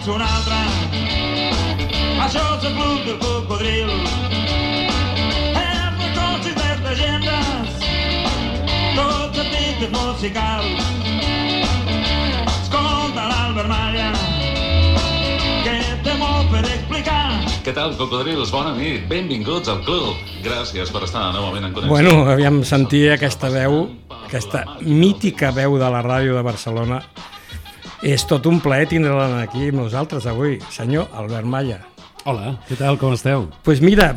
fins una altra. Això és el club del cocodril. Els negocis de llegendes, tots els títols musicals. Escolta l'Albert Malla, que té molt per explicar. Què tal, cocodrils? Bona nit, benvinguts al club. Gràcies per estar novament en connexió. Bueno, aviam, sentir aquesta veu, aquesta mítica veu de la ràdio de Barcelona. És tot un plaer tindre-la aquí amb nosaltres avui, senyor Albert Malla. Hola, què tal, com esteu? Doncs mira,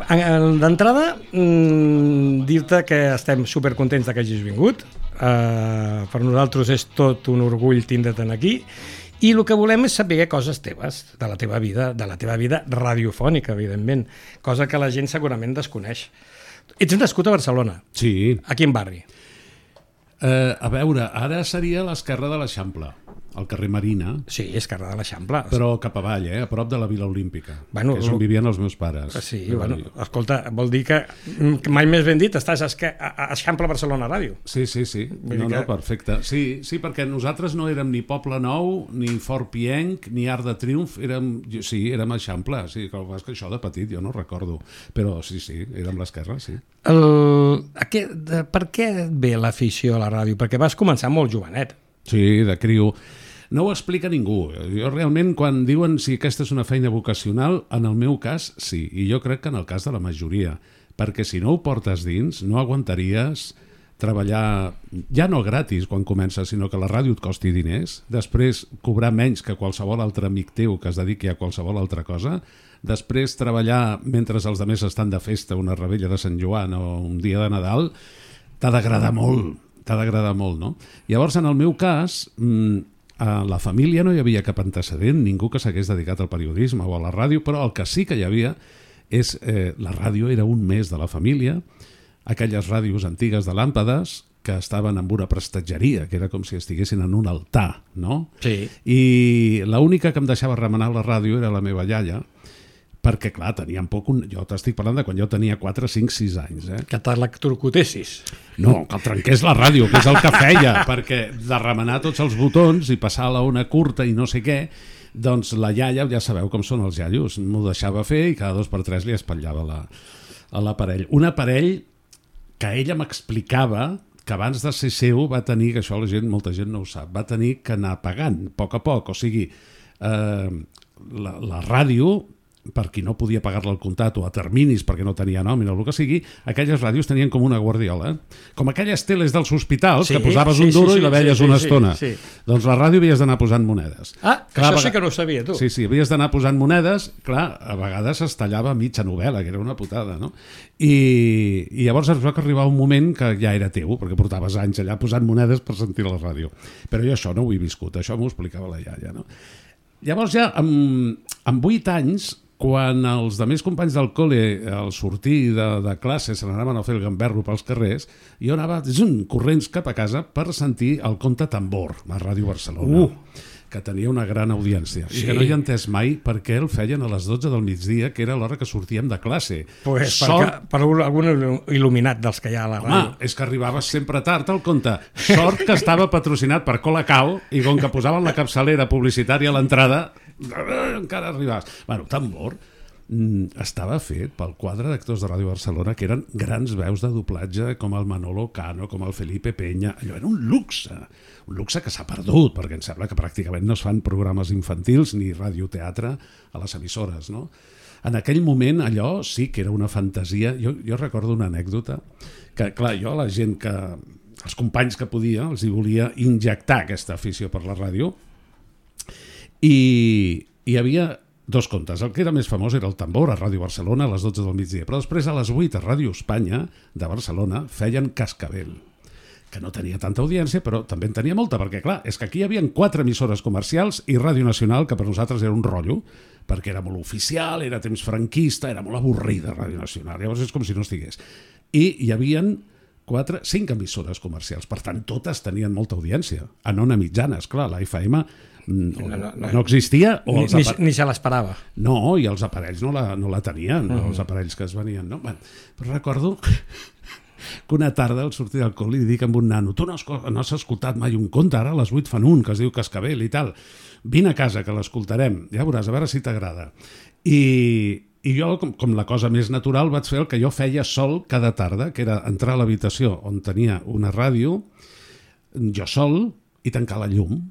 d'entrada, dir-te que estem supercontents que hagis vingut. Per nosaltres és tot un orgull tindre't aquí. I el que volem és saber coses teves, de la teva vida radiofònica, evidentment, cosa que la gent segurament desconeix. Ets nascut a Barcelona? Sí. A quin barri? A veure, ara seria l'esquerra de l'Eixample, al carrer Marina. Sí, esquerra de l'Eixample. Però cap avall, a prop de la Vila Olímpica, bueno, que és on vivien els meus pares. Sí, bueno, escolta, vol dir que mai més ben dit, estàs a Eixample Barcelona Ràdio. Sí. No, perfecte. Sí, perquè nosaltres no érem ni Poble Nou, ni Fort Pienc, ni Arc de Triomf, érem Eixample, sí, que això de petit jo no recordo, però sí, érem l'esquerra, sí. Per què et ve l'afició a la ràdio? Perquè vas començar molt jovenet. Sí, de criu. No ho explica ningú. Jo realment, quan diuen si aquesta és una feina vocacional, en el meu cas, sí. I jo crec que en el cas de la majoria. Perquè si no ho portes dins, no aguantaries treballar, ja no gratis quan comences, sinó que la ràdio et costi diners, després cobrar menys que qualsevol altre amic teu que es dediqui a qualsevol altra cosa, després treballar mentre els altres estan de festa, una rebella de Sant Joan o un dia de Nadal, t'ha d'agradar molt, no? Llavors, en el meu cas, a la família no hi havia cap antecedent, ningú que s'hagués dedicat al periodisme o a la ràdio, però el que sí que hi havia és la ràdio era un mes de la família, aquelles ràdios antigues de làmpades que estaven en una prestatgeria, que era com si estiguessin en un altar, no? Sí. I l'única que em deixava remenar la ràdio era la meva iaia, perquè, clar, teníem poc... Jo t'estic parlant de quan jo tenia 4, 5, 6 anys. Que t'electrocutessis. No, que trenqués la ràdio, que és el que feia, perquè de remenar tots els botons i passar a la ona curta i no sé què, doncs la iaia, ja sabeu com són els iaios, m'ho deixava fer i cada 2 per 3 li espatllava a l'aparell. Un aparell que ella m'explicava que abans de ser seu va tenir, que això molta gent no ho sap, va tenir que anar pagant a poc, o sigui, la ràdio, per qui no podia pagar-la al comptat o a terminis perquè no tenia nòmina o el que sigui, aquelles ràdios tenien com una guardiola, com aquelles teles dels hospitals que posaves un duro i la veies una estona. Doncs la ràdio havies d'anar posant monedes. Això sí que no ho sabia, tu. Sí, havies d'anar posant monedes, clar, a vegades es tallava mitja novel·la, que era una putada, no? I llavors es va arribar un moment que ja era teu, perquè portaves anys allà posant monedes per sentir la ràdio. Però jo això no ho he viscut, això m'ho explicava la iaia, no? Llavors ja, amb 8 anys, quan els altres companys del col·le al sortir de classe se n'anaven a fer el gamberro pels carrers, jo anava corrents cap a casa per sentir el Conte Tambor a Ràdio Barcelona, que tenia una gran audiència. I que no hi he entès mai per què el feien a les 12 del migdia, que era l'hora que sortíem de classe. Pues per algun il·luminat dels que hi ha a la ràdio. Home, és que arribaves sempre tard al Conte. Sort que estava patrocinat per Colacao i com que posaven la capçalera publicitària a l'entrada, encara arribaves. Bueno, Tambor estava fet pel quadre d'actors de Ràdio Barcelona que eren grans veus de doblatge com el Manolo Cano, com el Felipe Peña. Allò era un luxe que s'ha perdut, perquè em sembla que pràcticament no es fan programes infantils ni radioteatre a les emissores, no? En aquell moment allò sí que era una fantasia. Jo recordo una anècdota que, clar, jo a la gent que... els companys que podia els hi volia injectar aquesta afició per la ràdio i hi havia 2 contes. El que era més famós era el Tambor a Ràdio Barcelona a les 12 del migdia, però després a les 8 a Ràdio Espanya de Barcelona feien Cascabel, que no tenia tanta audiència, però també en tenia molta, perquè clar, és que aquí hi havia 4 emissores comercials i Ràdio Nacional, que per nosaltres era un rotllo, perquè era molt oficial, era temps franquista, era molt avorrida Ràdio Nacional, llavors és com si no estigués. I hi havia 5 emissores comercials, per tant totes tenien molta audiència, en ona mitjana, esclar, la FM no existia. Ni se l'esperava. No, i els aparells no la tenien, els aparells que es venien. No? Però recordo que una tarda al sortir del col·le li dic amb un nano: tu no has escoltat mai un conte, ara a les 8 fan un, que es diu Cascabel i tal. Vine a casa, que l'escoltarem, ja veuràs, a veure si t'agrada. I jo, com la cosa més natural, vaig fer el que jo feia sol cada tarda, que era entrar a l'habitació on tenia una ràdio, jo sol, i tancar la llum.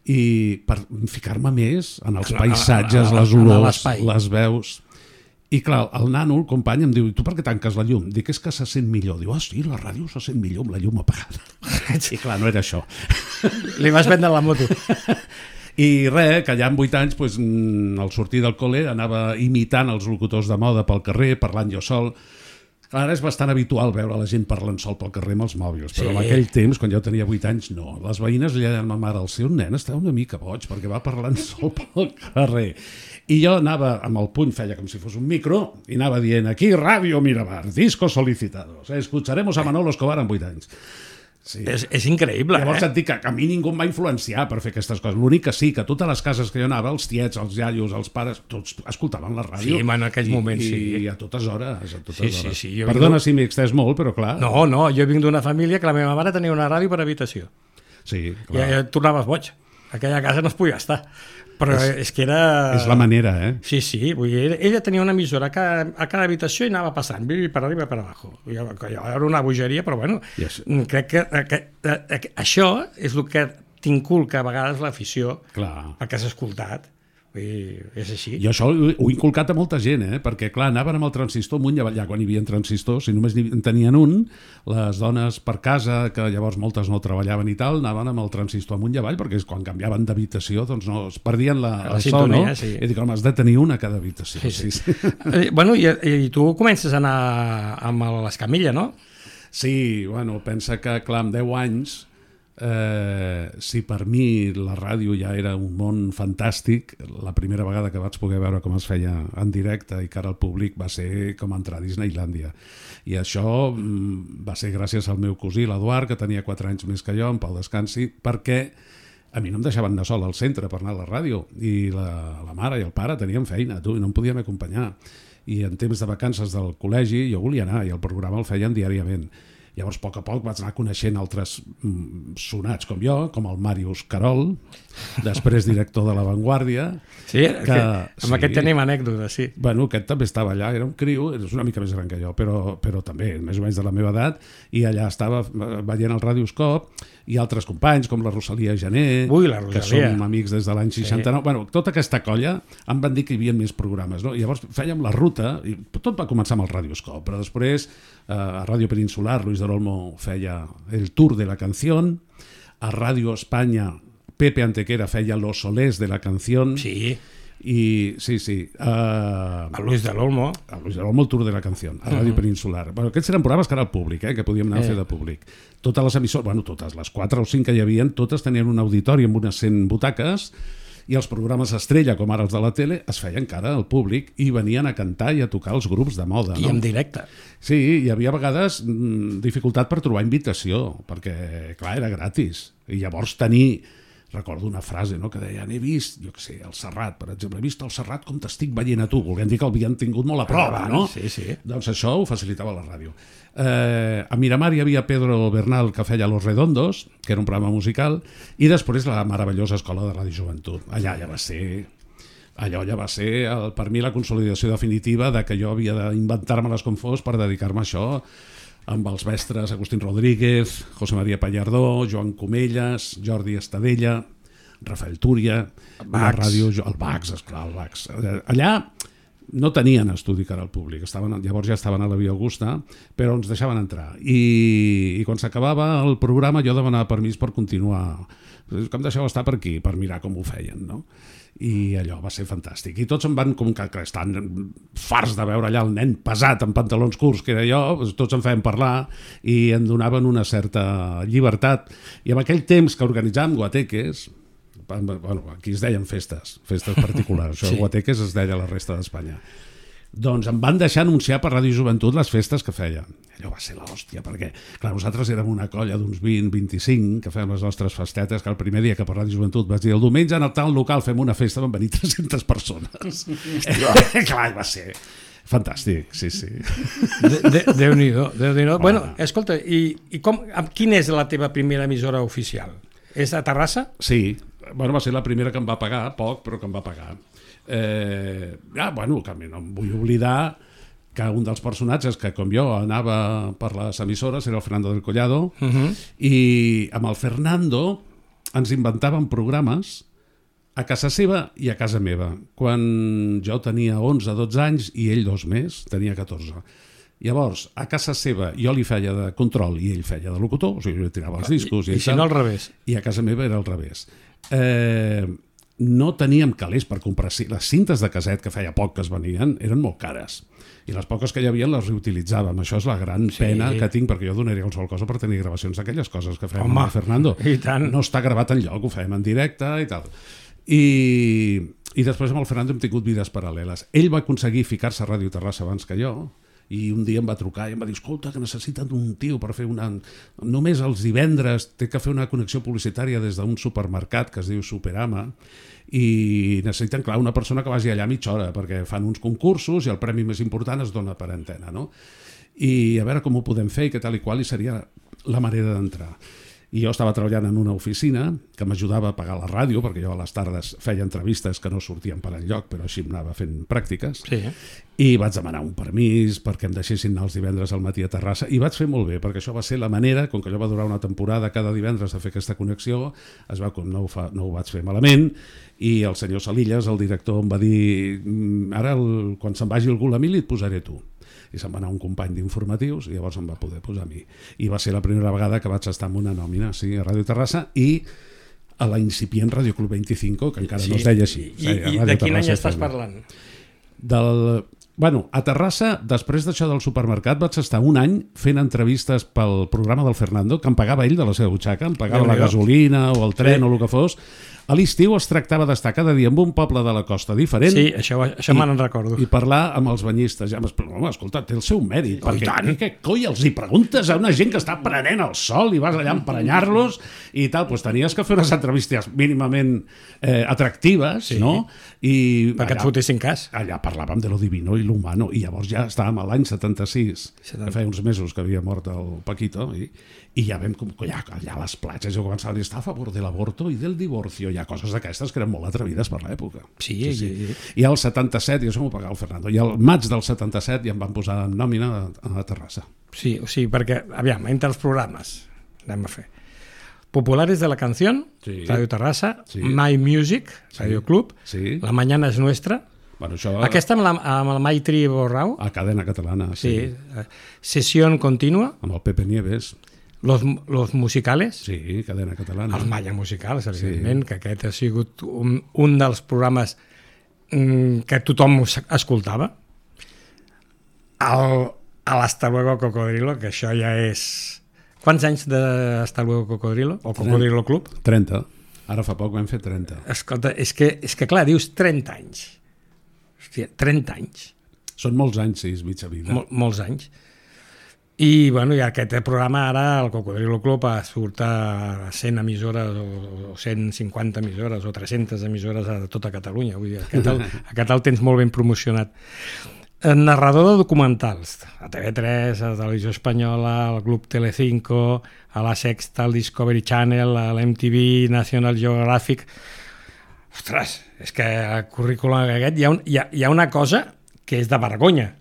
I per ficar-me més en els paisatges, les olors, les veus. I clar, el nano, el company, em diu: tu per què tanques la llum? Dic: és que se sent millor. Diu: ah, sí, la ràdio se sent millor amb la llum apagada. I clar, no era això. Li vas vendre la moto. I res, que allà amb 8 anys, doncs, al sortir del col·le, anava imitant els locutors de moda pel carrer, parlant jo sol. Ara és bastant habitual veure la gent parlant sol pel carrer amb els mòbils, però en aquell temps, quan jo tenia 8 anys, no. Les veïnes li deien a ma mare: el seu nen està una mica boig perquè va parlant sol pel carrer. I jo anava amb el puny, feia com si fos un micro, i anava dient: aquí Ràdio Miramar, discos solicitados, escucharemos a Manolo Escobar amb 8 anys. Sí. És increïble, Llavors et dic que a mi ningú em va influenciar per fer aquestes coses. L'únic que sí, que totes les cases que jo anava, els tiets, els iaios, els pares, tots escoltaven la ràdio. Sí, en aquells moments, sí. I a totes hores, a totes hores. Sí. Perdona si m'he extès molt, però clar. No, jo vinc d'una família que la meva mare tenia una ràdio per habitació. Sí, clar. I et tornaves boig. Aquella casa no es podia estar. Però és que era... És la manera, Sí, vull dir, ella tenia una emissora a cada habitació i anava passant, per arriba i per abajo. Era una bogeria, però bueno, crec que això és el que t'inculca a vegades l'afició, perquè has escoltat. És així. Jo això ho he inculcat a molta gent, perquè clar, anaven amb el transistor amunt i avall, quan hi havia transistors, si només en tenien un, les dones per casa, que llavors moltes no treballaven i tal, anaven amb el transistor amunt i avall, perquè quan canviaven d'habitació doncs no, es perdien la sintonia, no? I dic: home, has de tenir una a cada habitació. Sí. Bueno, i tu comences a anar amb l'escamilla, no? Sí, bueno, pensa que clar, amb 10 anys, si per mi la ràdio ja era un món fantàstic, la primera vegada que vaig poder veure com es feia en directe i cara al públic va ser com entrar a Disneylàndia. I això va ser gràcies al meu cosí, l'Eduard, que tenia 4 anys més que jo, en pau descansi, perquè a mi no em deixaven anar sol al centre per anar a la ràdio, i la mare i el pare tenien feina, i no em podien acompanyar. I en temps de vacances del col·legi jo volia anar, i el programa el feien diàriament. Llavors, a poc vaig anar coneixent altres sonats com jo, com el Màrius Carol, després director de La Vanguardia. Sí, amb aquest tenim anècdotes, sí. Bueno, aquest també estava allà, era un criu, és una mica més gran que jo, però també més o menys de la meva edat, i allà estava veient el Radioscop, i altres companys, com la Rosalia Gené, que som amics des de l'any 69. Bueno, tota aquesta colla em van dir que hi havia més programes, no? I llavors fèiem la ruta, i tot va començar amb el Radioscop, però després a Ràdio Peninsular Luis de Olmo feia el Tour de la Canción, a Ràdio Espanya Pepe Antequera feia Los Solés de la Canción. Sí. I sí, a Luis de l'Olmo el Tour de la Canción, a Ràdio Peninsular. Bueno, aquests eren programes que era al públic, que podíem anar a fer de públic. Totes les emissores, bueno, totes les 4 o 5 que hi havia, totes tenien un auditori amb unes 100 butaques, i els programes estrella, com ara els de la tele, es feien cara al públic i venien a cantar i a tocar els grups de moda. I en directe. Sí, hi havia a vegades dificultat per trobar invitació, perquè, clar, era gratis. I llavors recordo una frase, no?, que deien: he vist, jo què sé, el Serrat, per exemple, he vist el Serrat com t'estic veient a tu, volent dir que l'havien tingut molt a prova, no? Sí. Doncs això ho facilitava la ràdio. A Miramar hi havia Pedro Bernal, que feia Los Redondos, que era un programa musical, i després la meravellosa Escola de Ràdio Joventut. Allò ja va ser per mi la consolidació definitiva de que jo havia d'inventar-me-les com fos per dedicar-me a això, amb els mestres Agustín Rodríguez, José María Pallardó, Joan Comelles, Jordi Estadella, Rafael Túria, la ràdio, el Bax, esclar, el Bax. Allà no tenien estudi cara al públic, llavors ja estaven a la Via Augusta, però ens deixaven entrar. I quan s'acabava el programa jo demanava permís per continuar. Que em deixeu estar per aquí, per mirar com ho feien, no? I allò va ser fantàstic. I tots em van, com que estan farts de veure allà el nen pesat amb pantalons curts que era jo, tots em feien parlar i em donaven una certa llibertat. I en aquell temps que organitzàvem guateques, bueno, aquí es deien festes particulars, això, guateques es deia a la resta d'Espanya. doncs em van deixar anunciar per Ràdio Joventut les festes que feien. Allò va ser l'hòstia, perquè clar, nosaltres érem una colla d'uns 20-25 que fèiem les nostres festetes, que el primer dia que per Ràdio Joventut vaig dir el diumenge en el tal local fem una festa, van venir 300 persones. Clar, va ser fantàstic, sí. Déu-n'hi-do. Bueno, escolta, i quina és la teva primera emissora oficial? És a Terrassa? Sí, bueno, va ser la primera que em va pagar, poc, però que em va pagar. Bueno, que no em vull oblidar que un dels personatges que, com jo, anava per les emissores era el Fernando del Collado, i amb el Fernando ens inventàvem programes a casa seva i a casa meva, quan jo tenia 11-12 anys i ell 2 més, tenia 14. Llavors, a casa seva jo li feia de control i ell feia de locutor, o sigui, jo li tirava els discos i si no al revés. I a casa meva era al revés. No teníem calés per comprar... Les cintes de casset, que feia poc que es venien, eren molt cares. I les poques que hi havia les reutilitzàvem. Això és la gran pena que tinc, perquè jo donaria qualsevol cosa per tenir gravacions d'aquelles coses que fèiem amb Fernando. I tant. No està gravat enlloc, ho fèiem en directe i tal. I després amb el Fernando hem tingut vides paral·leles. Ell va aconseguir ficar-se a Ràdio Terrassa abans que jo, i un dia em va trucar i em va dir, escolta, que necessiten un tio per fer una... Només els divendres té que fer una connexió publicitària des d'un supermercat que es diu Superama, i necessiten, clar, una persona que vagi allà mitja hora, perquè fan uns concursos i el premi més important es dona per antena, no? I a veure com ho podem fer i què tal i qual, i seria la manera d'entrar. I jo estava treballant en una oficina que m'ajudava a pagar la ràdio, perquè jo a les tardes feia entrevistes que no sortien per enlloc, però així em anava fent pràctiques. Sí. I vaig demanar un permís perquè em deixessin anar els divendres al matí a Terrassa, i vaig fer molt bé, perquè això va ser la manera, com que allò va durar una temporada cada divendres de fer aquesta connexió, es va, no ho vaig fer malament, i el senyor Salillas, el director, em va dir, ara quan se'n vagi algú a mi li et posaré tu. I se'n va anar un company d'informatius i llavors em va poder posar a mi. I va ser la primera vegada que vaig estar en una nòmina, sí, a Ràdio Terrassa, i a la incipient Ràdio Club 25, que encara no es deia així. I de quin any estàs parlant? Bueno, a Terrassa, després d'això del supermercat, vaig estar un any fent entrevistes pel programa del Fernando, que em pagava ell de la seva butxaca, em pagava la gasolina o el tren o el que fos. A l'estiu es tractava d'estar cada dia en un poble de la costa diferent. Sí, això me'n recordo. I parlar amb els banyistes. Ja home, escolta, té el seu mèrit. Perquè què coi els hi preguntes a una gent que està prenent el sol i vas allà a emprenyar-los i tal? Doncs tenies que fer unes entrevistes mínimament atractives, no? Perquè et fotessin cas. Allà parlàvem de lo divino i l'humano, i llavors ja estàvem a l'any 76, que feia uns mesos que havia mort el Paquito, i ja vam, allà a les platges, jo començava a dir, està a favor de l'aborto i del divorcio. Hi ha coses d'aquestes que eren molt atrevides per l'època. Sí. I al 77, i això m'ho pagava el Fernando, i al maig del 77 ja em van posar en nòmina a Terrassa. Sí, o sigui, perquè, aviam, entre els programes, anem a fer Populares de la Canción, Ràdio Terrassa, My Music, Ràdio Club, La Mañana es Nuestra, bueno, això... aquesta amb el Maitri Borrau, a Cadena Catalana, sí. Sessió Continua, amb el Pepe Nieves, Los Musicales, sí, Cadena Catalana, els Malla Musicals, evidentment, que aquest ha sigut un dels programes que tothom escoltava. Hasta Luego Cocodrilo, que això ja és... Quants anys d'Hasta Luego Cocodrilo? O Cocodrilo Club? 30. Ara fa poc vam fer 30. Escolta, és que clar, dius 30 anys. Hòstia, 30 anys. Són molts anys, sí, és mitja vida. Molts anys. I, bueno, i aquest programa ara, el Cocodrilo Club, surt a 100 emissores o 150 emissores o 300 emissores a tota Catalunya. Vull dir, aquest el tens molt ben promocionat. Narrador de documentals, a TV3, a Televisió Espanyola, al Club Telecinco, a la Sexta, al Discovery Channel, a l'MTV, National Geographic. Ostres, és que al currículum aquest hi ha una cosa que és de vergonya,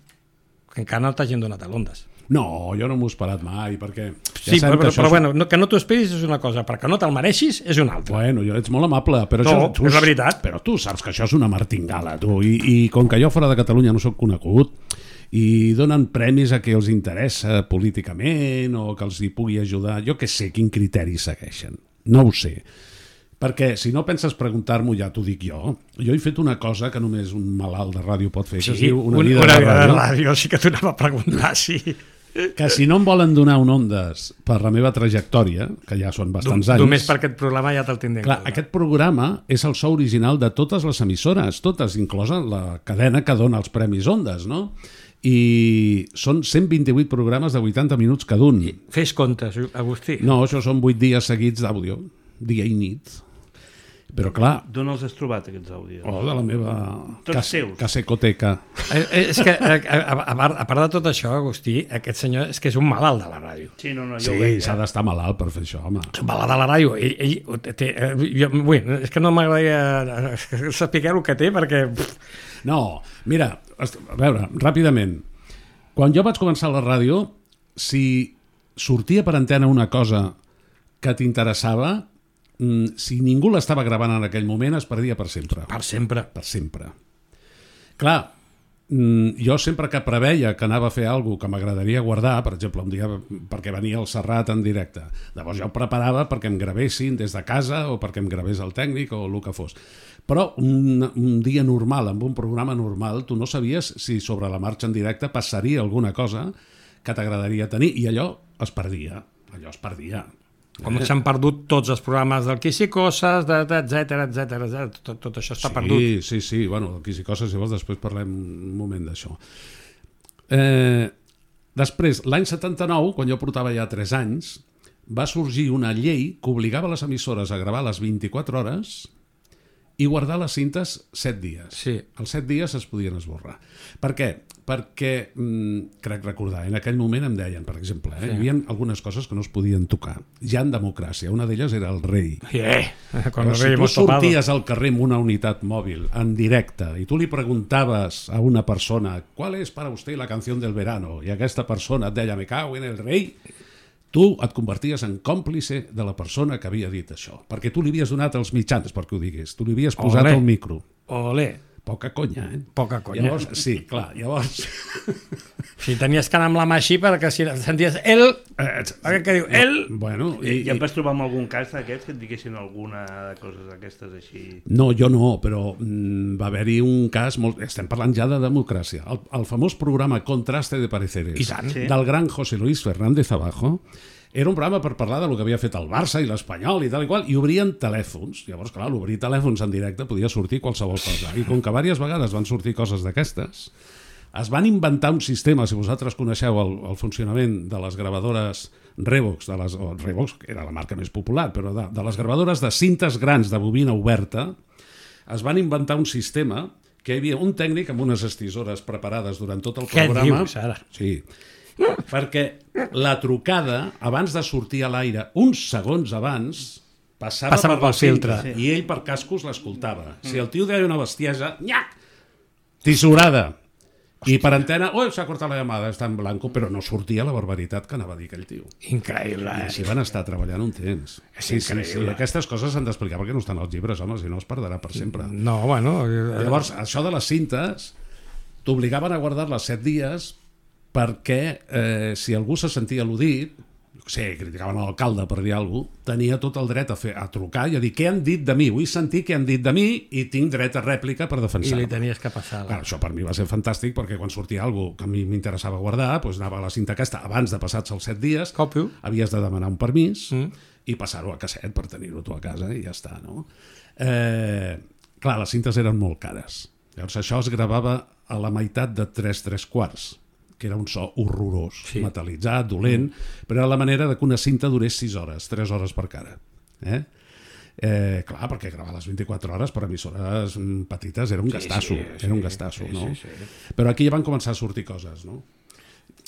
que encara no t'hagin donat a l'Ondes. No, jo no m'ho he esperat mai, perquè... Sí, però bueno, que no t'ho esperis és una cosa, perquè no te'l mereixis és una altra. Bueno, ets molt amable, però no, és la veritat. Però tu saps que això és una martingala, tu, i com que jo fora de Catalunya no sóc conegut, i donen premis a qui els interessa políticament o que els hi pugui ajudar, jo què sé quin criteri segueixen, no ho sé. Perquè si no penses preguntar-m'ho, ja t'ho dic jo he fet una cosa que només un malalt de ràdio pot fer, que es diu una vida de ràdio. Sí, sí que t'ho anava a preguntar, sí. que si no em volen donar un Ondes per la meva trajectòria, que ja són bastants anys... Només per aquest programa ja te'l tindrem. Clar, aquest programa és el so original de totes les emissores, totes, inclosa la cadena que dona els Premis Ondes, no? I són 128 programes de 80 minuts cada un. Fes comptes, Agustí. No, això són 8 dies seguits d'àudio, dia i nit. Però clar... D'on els has trobat, aquests àudios? Oh, de la meva Tots seus. casecoteca. És que, a part de tot això, Agustí, aquest senyor és que és un malalt de la ràdio. Sí, no, jo Sí, ho veig, s'ha d'estar malalt per fer això, home. És un malalt de la ràdio. És que no m'agradaria saber el que té, perquè... No, mira, a veure, ràpidament. Quan jo vaig començar a la ràdio, si sortia per antena una cosa que t'interessava, si ningú l'estava gravant en aquell moment, es perdia per sempre. Per sempre. Per sempre. Clar, jo sempre que preveia que anava a fer alguna que m'agradaria guardar, per exemple, un dia perquè venia el Serrat en directe, llavors jo preparava perquè em gravessin des de casa o perquè em gravés el tècnic o el que fos. Però un dia normal, amb un programa normal, tu no sabies si sobre la marxa en directe passaria alguna cosa que t'agradaria tenir, i allò es perdia. Allò es perdia. Com s'han perdut tots els programes del Quisicoses, etcètera, tot això està perdut. Sí, bueno, del Quisicoses, si vols, després parlem un moment d'això. Després, l'any 79, quan jo portava ja 3 anys, va sorgir una llei que obligava les emissores a gravar les 24 hores i guardar les cintes 7 dies. Sí. Els 7 dies es podien esborrar. Per què? Perquè, crec recordar, en aquell moment em deien, per exemple, hi havia algunes coses que no es podien tocar. Ja en democràcia, una d'elles era el rei. Quan Però si tu sorties al carrer amb una unitat mòbil, en directe, i tu li preguntaves a una persona ¿cuál es para usted la canción del verano? I aquesta persona et deia me cago en el rei, tu et converties en còmplice de la persona que havia dit això, perquè tu li havies donat els mitjans perquè ho digués, tu li havies posat el micro. Olé. Poca conya, eh? Poca conya. Llavors, sí, clar, llavors... Si tenies que anar amb la mà així perquè si senties el... Què diu? El... Bueno, I ja em vas trobar amb algun cas d'aquests que et diguessin alguna de coses d'aquestes així? No, jo no, però va haver-hi un cas... Estem parlant ja de democràcia. El famós programa Contraste de Pareceres, del gran José Luis Fernández Abajo, era un programa per parlar del que havia fet el Barça i l'Espanyol i tal i qual, i obrien telèfons. Llavors, clar, l'obrir telèfons en directe podia sortir qualsevol cosa. I com que diverses vegades van sortir coses d'aquestes, es van inventar un sistema, si vosaltres coneixeu el funcionament de les gravadores Revox, Revox era la marca més popular, però de les gravadores de cintes grans de bobina oberta, es van inventar un sistema que hi havia un tècnic amb unes estisores preparades durant tot el programa. Què dius, ara? Sí, perquè la trucada, abans de sortir a l'aire, uns segons abans, passava pel filtre, i ell per cascos l'escoltava. Si el tio deia una bestiesa, nyac, tisorada. I per antena, s'ha cortat la llamada, està en blanco, però no sortia la barbaritat que anava a dir aquell tio. Increïble, I així van estar treballant un temps. Sí. Aquestes coses s'han d'explicar perquè no estan als llibres, home, si no es perdrà per sempre. No, bueno... Llavors, això de les cintes t'obligaven a guardar-les 7 dies perquè si algú se sentia al·ludit, criticaven l'alcalde per dir alguna cosa, tenia tot el dret a trucar i a dir què han dit de mi, vull sentir què han dit de mi i tinc dret a rèplica per defensar. I li tenies que passar. Clar, això per mi va ser fantàstic perquè quan sortia alguna cosa que a mi m'interessava guardar, doncs anava a la cinta aquesta, abans de passats els 7 dies, Còpio. Havies de demanar un permís i passar-ho a casset per tenir-ho tu a casa i ja està, no? Clar, les cintes eren molt cares. Llavors això es gravava a la meitat de 3/3, que era un so horrorós, metalitzat, dolent, però era la manera de que una cinta durés 6 hores, 3 hores per cara. Clar, perquè gravar les 24 hores per emissores petites era un gastasso, no? Però aquí ja van començar a sortir coses, no?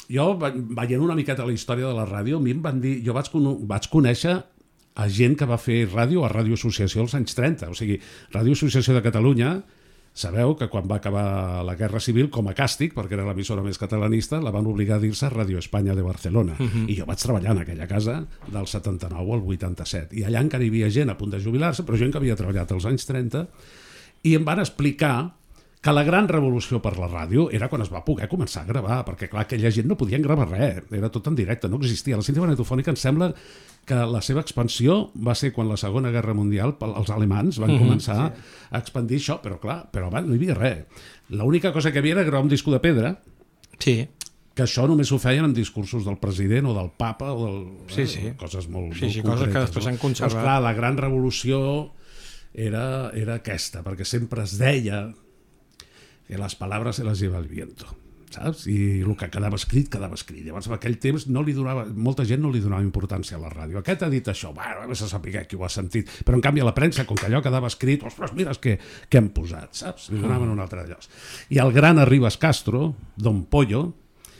Jo, veient una miqueta la història de la ràdio, a mi em van dir, jo vaig conèixer a gent que va fer ràdio a Ràdio Associació als anys 30, o sigui, Ràdio Associació de Catalunya. Sabeu que quan va acabar la Guerra Civil, com a càstig, perquè era l'emissora més catalanista, la van obligar a dir-se Radio Espanya de Barcelona. I jo vaig treballar en aquella casa del 79 al 87. I allà encara hi havia gent a punt de jubilar-se, però gent que havia treballat als anys 30, i em van explicar que la gran revolució per la ràdio era quan es va poder començar a gravar, perquè clar, aquella gent no podien gravar res, era tot en directe, no existia. La cinta magnetofònica em sembla que la seva expansió va ser quan la Segona Guerra Mundial els alemans van començar a expandir això, però clar, però abans no hi havia res. L'única cosa que hi havia era gravar un disco de pedra, sí, que això només ho feien en discursos del president o del papa o coses molt, sí, molt coses concretes, que després s'han conservat. Doncs, clar, la gran revolució era aquesta, perquè sempre es deia que les paraules se les lleva el viento, saps? I el que quedava escrit. Llavors, en aquell temps, molta gent no li donava importància a la ràdio. Aquest ha dit això, bueno, vés a saber qui ho ha sentit. Però, en canvi, a la premsa, com que allò quedava escrit, ostres, mira què hem posat, saps? Li donaven un altre lloc. I el gran Arribas Castro, Don Pollo,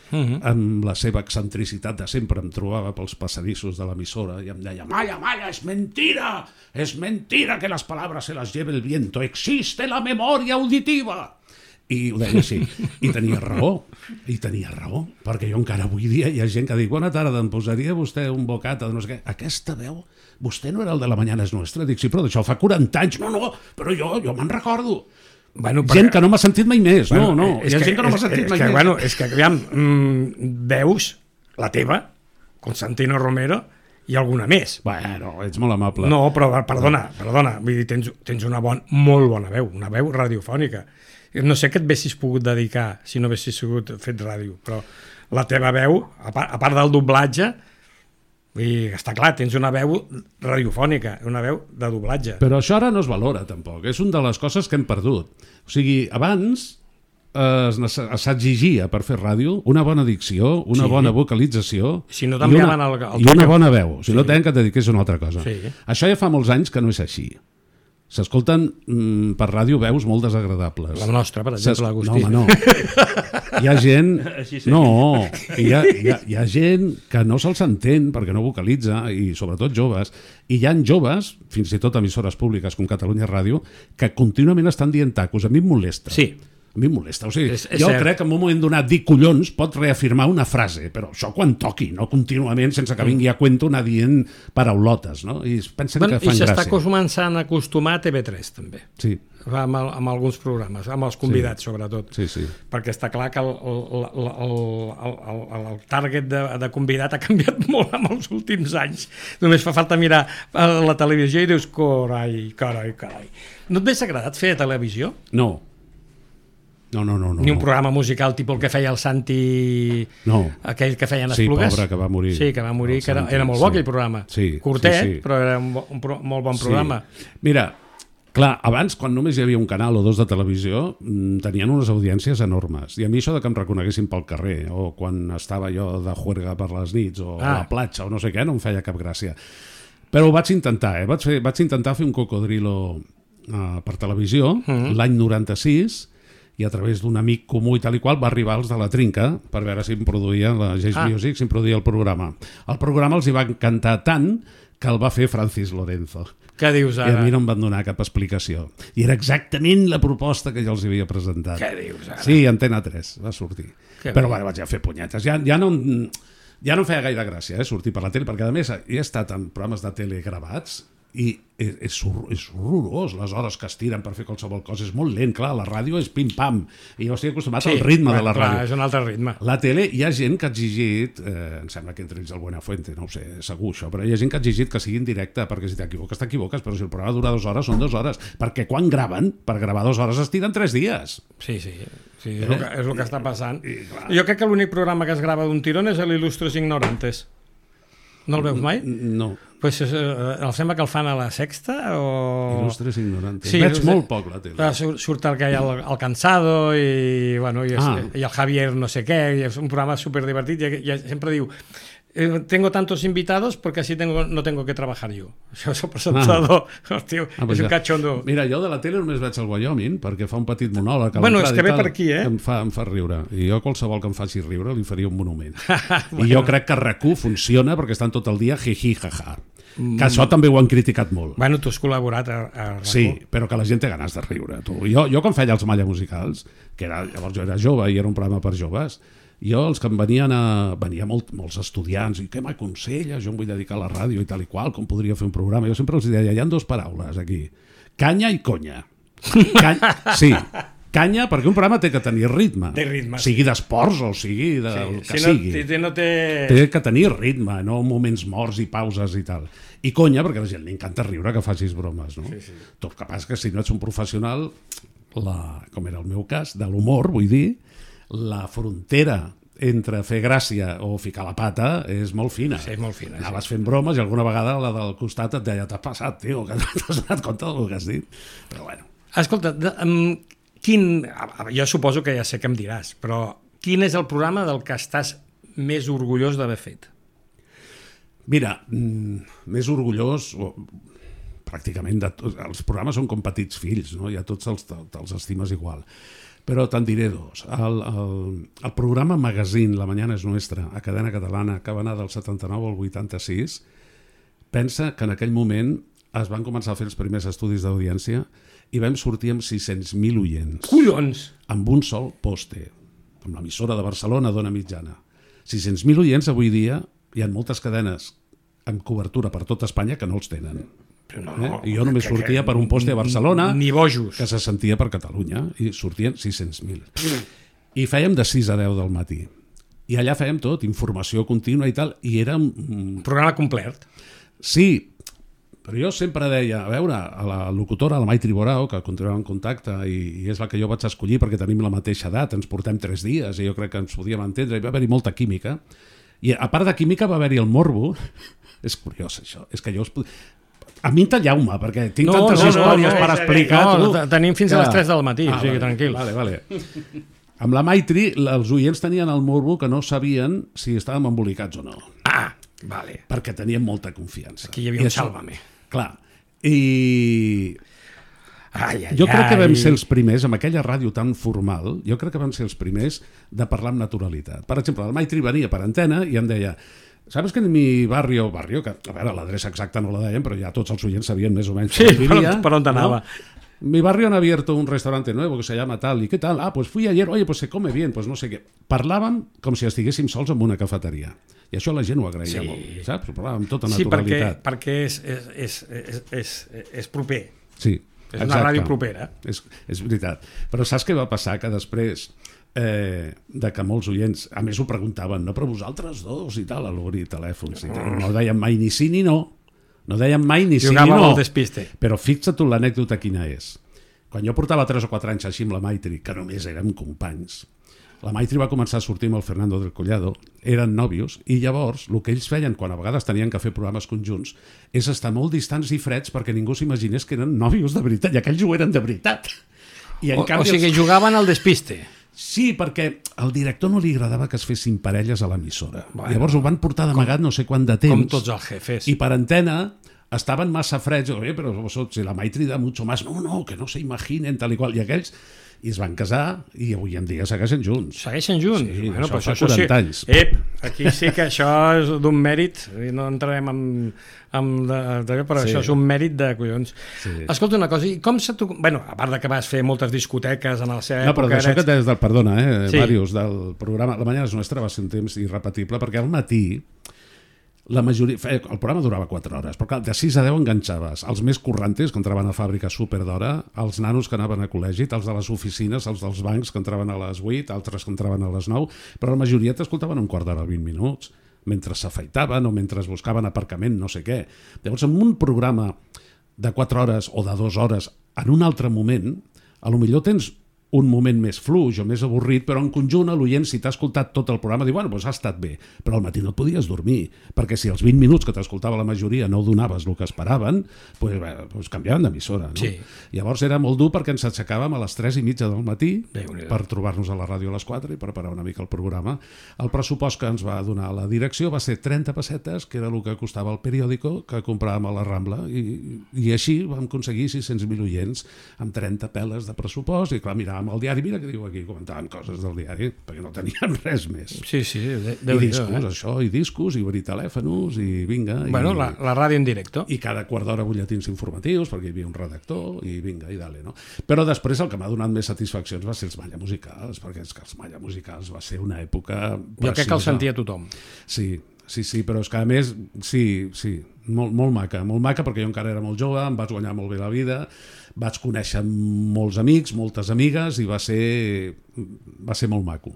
amb la seva excentricitat de sempre, em trobava pels passadissos de l'emissora i em deia: Maya, es mentira que las palabras se las lleve el viento, existe la memoria auditiva. I ho deia així, i tenia raó, perquè jo encara avui dia hi ha gent que diu: bona tarda, em posaria vostè un bocata de no sé què. Aquesta veu, vostè no era el de La Mañana es Nuestra? Dic, sí, però d'això fa 40 anys. No, però jo me'n recordo. Bueno, gent que no m'ha sentit mai més. Hi ha gent que no m'ha sentit mai més. Bueno, és que, aviam, veus la teva, Constantino Romero, i alguna més. Bueno, ets molt amable. No, però perdona, vull dir, tens una molt bona veu, una veu radiofònica. No sé què et haguessis pogut dedicar si no haguessis sigut fet ràdio, però la teva veu, a part del doblatge, està clar, tens una veu radiofònica, una veu de doblatge. Però això ara no es valora, tampoc. És una de les coses que hem perdut. O sigui, abans s'exigia per fer ràdio una bona dicció, una bona vocalització i una bona veu. Si no tenen que et dediqués a una altra cosa. Això ja fa molts anys que no és així. S'escolten per ràdio veus molt desagradables. La nostra, per exemple, Agustí. No. Hi ha gent... No, hi ha gent que no se'ls entén perquè no vocalitza, i sobretot joves. I hi ha joves, fins i tot emissores públiques com Catalunya Ràdio, que contínuament estan dient tacos. A mi em molesta. Sí. A mi em molesta. O sigui, jo crec que en un moment donat dir collons pot reafirmar una frase, però això quan toqui, no contínuament, sense que vingui a cuento anar dient paraulotes, no? I pensen que fan gràcia. I s'està començant a acostumar a TV3, també. Sí. Amb alguns programes, amb els convidats, sobretot. Sí. Perquè està clar que el target de convidat ha canviat molt en els últims anys. Només fa falta mirar la televisió i dius, carai. No et hauria agradat fer televisió? No. Ni un programa musical tipus el que feia el Santi, aquell que feien Esplugues. Sí, pobre, que va morir. Sí, que va morir, que era molt bo aquell programa. Curtet, però era un molt bon programa. Mira, clar, abans, quan només hi havia un canal o dos de televisió, tenien unes audiències enormes. I a mi això de que em reconeguessin pel carrer, o quan estava jo de juerga per les nits, o a la platja, o no sé què, no em feia cap gràcia. Però ho vaig intentar, vaig intentar fer un cocodrilo per televisió, l'any 96, i a través d'un amic comú i tal i qual va arribar els de la Trinca per veure si em produïa la Jace Music, si em produïa el programa. El programa els hi va encantar tant que el va fer Francis Lorenzo. Què dius ara? I a mi no em van donar cap explicació. I era exactament la proposta que jo els havia presentat. Què dius ara? Sí, Antena 3 va sortir. Però bueno, vaig a fer punyetes. Ja no em feia gaire gràcia sortir per la tele, perquè a més he estat en programes de tele gravats i és horrorós les hores que es tiren per fer qualsevol cosa, és molt lent, clar, la ràdio és pim-pam i jo estic acostumat al ritme de la ràdio. És un altre ritme. La tele, hi ha gent que ha exigit, em sembla que entre ells el Buenafuente, no ho sé, segur això, però hi ha gent que ha exigit que sigui en directe, perquè si t'equivoques, però si el programa dura 2 hores, són 2 hores, perquè quan graven, per gravar 2 hores es tiren 3 dies. Sí, és el que està passant. Jo crec que l'únic programa que es grava d'un tirón és l'Il·lustres Ignorantes. No el veus mai? No. Pues em sembla que el fan a la Sexta o... Il·lustres Ignorantes. Veig molt poc la tele. Surt el que hi ha el Cansado i el Javier no sé què, i és un programa superdivertit i sempre diu tengo tantos invitados porque así no tengo que trabajar yo. Això és el presentador. Hòstia, és un cachondo. Mira, jo de la tele només veig el Wyoming perquè fa un petit monòleg. Bueno, és que ve per aquí, Em fa riure. I jo qualsevol que em faci riure li faria un monument. I jo crec que RAC1 funciona perquè estan tot el dia jiji, jaja. Que això també ho han criticat molt. Bueno, tu has col·laborat a RAC1. Sí, però que la gent té ganes de riure. Jo quan feia els Malla Musicals, que llavors jo era jove i era un programa per joves, jo els que em venien molts estudiants i què m'aconsella, jo em vull dedicar a la ràdio i tal i qual, com podria fer un programa, jo sempre els deia, hi ha 2 paraules aquí, canya i conya. Sí, canya perquè un programa té que tenir ritme, sigui d'esports o sigui del que sigui, té que tenir ritme, no moments morts i pauses i tal, i conya perquè a la gent li encanta riure que facis bromes, no? Tot que passa que si no ets un professional, com era el meu cas, de l'humor, vull dir, la frontera entre fer gràcia o ficar la pata és molt fina. Sí, molt fina. Anaves fent bromes i alguna vegada la del costat et deia t'has passat, tio, que no t'has donat compte del que has dit. Però bueno. Escolta, jo suposo que ja sé què em diràs, però quin és el programa del que estàs més orgullós d'haver fet? Mira, més orgullós... pràcticament els programes són com petits fills, no? I a tots els estimes igual. Però te'n diré dos. El programa Magazine, La Mañana és Nuestra, a Cadena Catalana, que va anar del 79 al 86, pensa que en aquell moment es van començar a fer els primers estudis d'audiència i vam sortir amb 600.000 oients. Collons! Amb un sol poste, amb l'emissora de Barcelona, Dona Mitjana. 600.000 oients avui dia, hi ha moltes cadenes amb cobertura per tot Espanya que no els tenen. I jo només sortia per un poste a Barcelona, ni bojos, que se sentia per Catalunya, i sortien 600.000. I fèiem de 6 a 10 del matí. I allà fèiem tot, informació contínua i tal, i era... programa complet. Sí, però jo sempre deia, a veure, a la locutora, la Maitri Borao, que continuava en contacte, i és la que jo vaig escollir perquè tenim la mateixa edat, ens portem 3 dies, i jo crec que ens podíem entendre, i va haver-hi molta química. I a part de química va haver-hi el morbo. És curiós, això. És que jo... A mi talleu-me, perquè tinc tantes històries per explicar. Tenim fins a les 3 del matí, o sigui, tranquil. Vale. Amb la Maitri, els oients tenien el morbo que no sabien si estàvem embolicats o no. Ah, vale. Perquè tenien molta confiança. Aquí hi havia un sálvame. Clar. I... Jo crec que vam ser els primers, amb aquella ràdio tan formal, jo crec que vam ser els primers de parlar amb naturalitat. Per exemple, el Maitri venia per antena i em deia... ¿Sabes que en mi barrio, que a veure, l'adreça exacta no la deien, però ja tots els oients sabien més o menys sí, per on anava. ¿No? Mi barrio han abierto un restaurante nuevo que se llama tal, ¿y qué tal? Ah, pues fui ayer, oye, pues se come bien, pues no sé què. Parlàvem com si estiguéssim sols en una cafeteria. I això la gent ho agraïa molt, saps? Parlàvem amb tota naturalitat. Sí, perquè és proper. Sí, és una ràdio propera. És veritat. Però saps què va passar? Que després... de que molts oients, a més ho preguntaven, no, però vosaltres dos i tal, a l'obrir telèfons i tal. No deien mai ni sí ni no, deien mai ni sí ni no, al despiste. Però fixa't tu l'anècdota quina és. Quan jo portava 3 o 4 anys així amb la Maitri, que només érem companys, la Maitri va començar a sortir amb el Fernando del Collado, eren nòvios, i llavors el que ells feien quan a vegades tenien que fer programes conjunts és estar molt distants i freds perquè ningú s'imaginés que eren nòvios de veritat, i aquells ho eren de veritat. I en canvi, o sigui, jugaven al despiste. Sí, perquè al director no li agradava que es fessin parelles a l'emissora. Llavors ho van portar d'amagat no sé quant de temps. Com tots els jefes. I per antena estaven massa freds. Oye, però si la Maitri da mucho más. No, que no se imaginen, tal i qual. I aquells... I es van casar i avui en dia segueixen junts. Segueixen junts? Sí, bueno, això fa 40 anys. Aquí sí que això és d'un mèrit, i no entrarem però sí. Això és un mèrit de collons. Sí. Escolta una cosa, i com se tu... Bueno, a part de que vas fer moltes discoteques en la seva època... No, però d'això que des del... Perdona, sí. Màrius, del programa La Mañana és Nuestra va ser un temps irrepetible, perquè al matí la majoria... El programa durava 4 hores, però clar, de 6 a 10 enganxaves els més corrantes, que entraven a fàbrica súper d'hora, els nanos que anaven a col·legi, els de les oficines, els dels bancs, que entraven a les 8, altres que entraven a les 9, però la majoria t'escoltaven un quart d'hora, 20 minuts, mentre s'afaitaven o mentre buscaven aparcament, no sé què. Llavors, en un programa de 4 hores o de 2 hores, en un altre moment, a lo millor tens un moment més fluix o més avorrit, però en conjunt l'oient, si t'ha escoltat tot el programa, diu, bueno, doncs ha estat bé, però al matí no et podies dormir, perquè si els 20 minuts que t'escoltava la majoria no donaves el que esperaven, doncs canviaven d'emissora, no? Sí. Llavors era molt dur perquè ens aixecàvem a les 3:30 del matí per trobar-nos a la ràdio a les 4 i preparar una mica el programa. El pressupost que ens va donar la direcció va ser 30 pessetes, que era el que costava el periòdico que compràvem a la Rambla, i així vam aconseguir 600.000 oients amb 30 peles de pressupost, i clar, miràvem el diari, mira què diu aquí, comentaven coses del diari, perquè no teníem res més. Sí, I discos, això, i discos, i obrir telèfons, i vinga. Bueno, la ràdio en directe. I cada quart d'hora butlletins informatius, perquè hi havia un redactor, i vinga, i dale, no? Però després el que m'ha donat més satisfaccions va ser els Malla Musicals, perquè és que els Malla Musicals va ser una època preciosa. Jo crec que el sentia tothom. Sí, però és que a més, sí, molt maca, perquè jo encara era molt jove, em vaig guanyar molt bé la vida, vaig conèixer molts amics, moltes amigues, i va ser molt maco.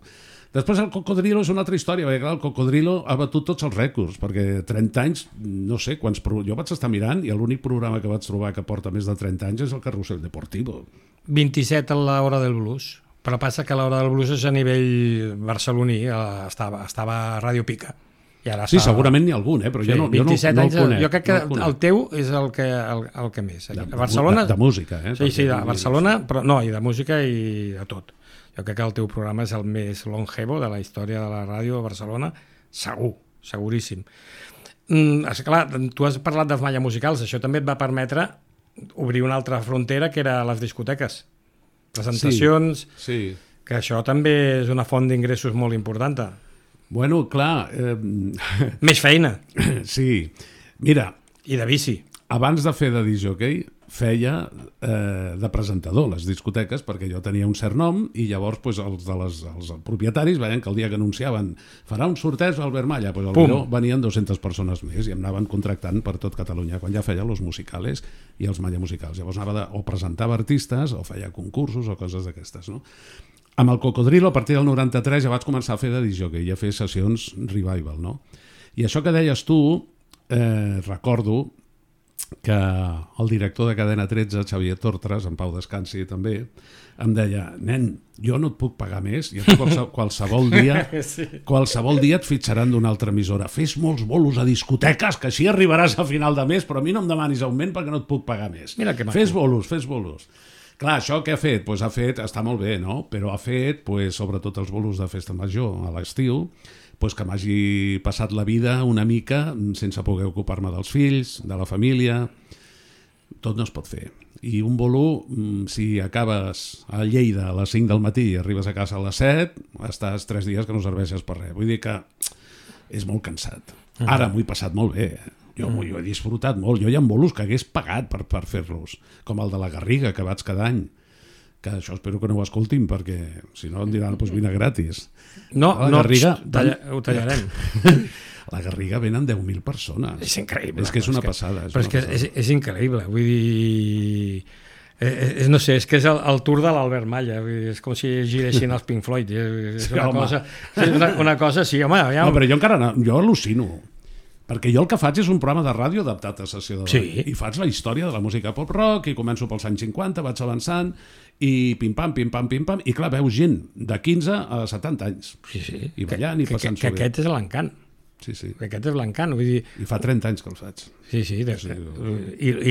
Després el Cocodrilo és una altra història, perquè clar, el Cocodrilo ha batut tots els rècords, perquè 30 anys, no sé quants... Jo vaig estar mirant i l'únic programa que vaig trobar que porta més de 30 anys és el Carrusel Deportivo. 27 a l'hora del blues. Però passa que l'Hora del Blues és a nivell barceloní, estava a Ràdio Pica. I ara Sí, segurament n'hi ha algun, però jo no el 27 anys, conec. jo crec que el teu és el que més. A Barcelona... De música, Sí, de Barcelona, però no, i de música i de tot. Jo crec que el teu programa és el més longevo de la història de la ràdio a Barcelona, segur, seguríssim. Esclar, tu has parlat dels Malla Musicals, això també et va permetre obrir una altra frontera que era les discoteques. Presentacions, sí. Que això també és una font d'ingressos molt important. Bueno, clar... Més feina. Sí. Mira... I de bici. Abans de fer de discjockey, feia de presentador les discoteques, perquè jo tenia un cert nom i llavors pues, els propietaris veien que el dia que anunciaven farà un sorteig a Albert Malla, pues, potser venien 200 persones més i em anaven contractant per tot Catalunya, quan ja feia los musicales i els Malla Musicals. Llavors anava o presentava artistes o feia concursos o coses d'aquestes, no? Amb el Cocodrilo, a partir del 93, ja vaig començar a fer de discjockey i a fer sessions revival, no? I això que deies tu, recordo que el director de Cadena 13, Xavier Tortres, en Pau Descansi també, em deia, nen, jo no et puc pagar més, i qualsevol dia et fitxaran d'una altra emissora. Fes molts bolos a discoteques, que així arribaràs a final de mes, però a mi no em demanis augment perquè no et puc pagar més. Fes bolos. Clar, això què ha fet? Pues està molt bé, no? Però ha fet, sobretot els bolos de festa major a l'estiu, que m'hagi passat la vida una mica sense poder ocupar-me dels fills, de la família. Tot no es pot fer. I un bolo, si acabes a Lleida a les 5 del matí i arribes a casa a les 7, estàs 3 dies que no serveixes per res. Vull dir que és molt cansat. Ara m'ho he passat molt bé. Jo he disfrutat molt. Jo hi ha bolos que hagués pagat per fer-los, com el de la Garriga, que vaig cada any. Que això espero que no ho escoltin, perquè si no em diran, vine gratis. No, Garriga, ho tallarem. La Garriga venen 10.000 persones. És increïble. És que és una passada. Però és increïble, vull dir... no sé, és que és el tour de l'Albert Malla, és com si giressin els Pink Floyd. És una cosa, sí, home... No, però jo encara jo al·lucino. Perquè jo el que faig és un programa de ràdio adaptat a sessió de ball. I faig la història de la música pop-rock i començo pels anys 50, vaig avançant i pim-pam, i clar, veus gent de 15 a 70 anys. I ballant i passant-s'ho bé. Que aquest és l'encant. Que aquest és l'encant. I fa 30 anys que el faig. I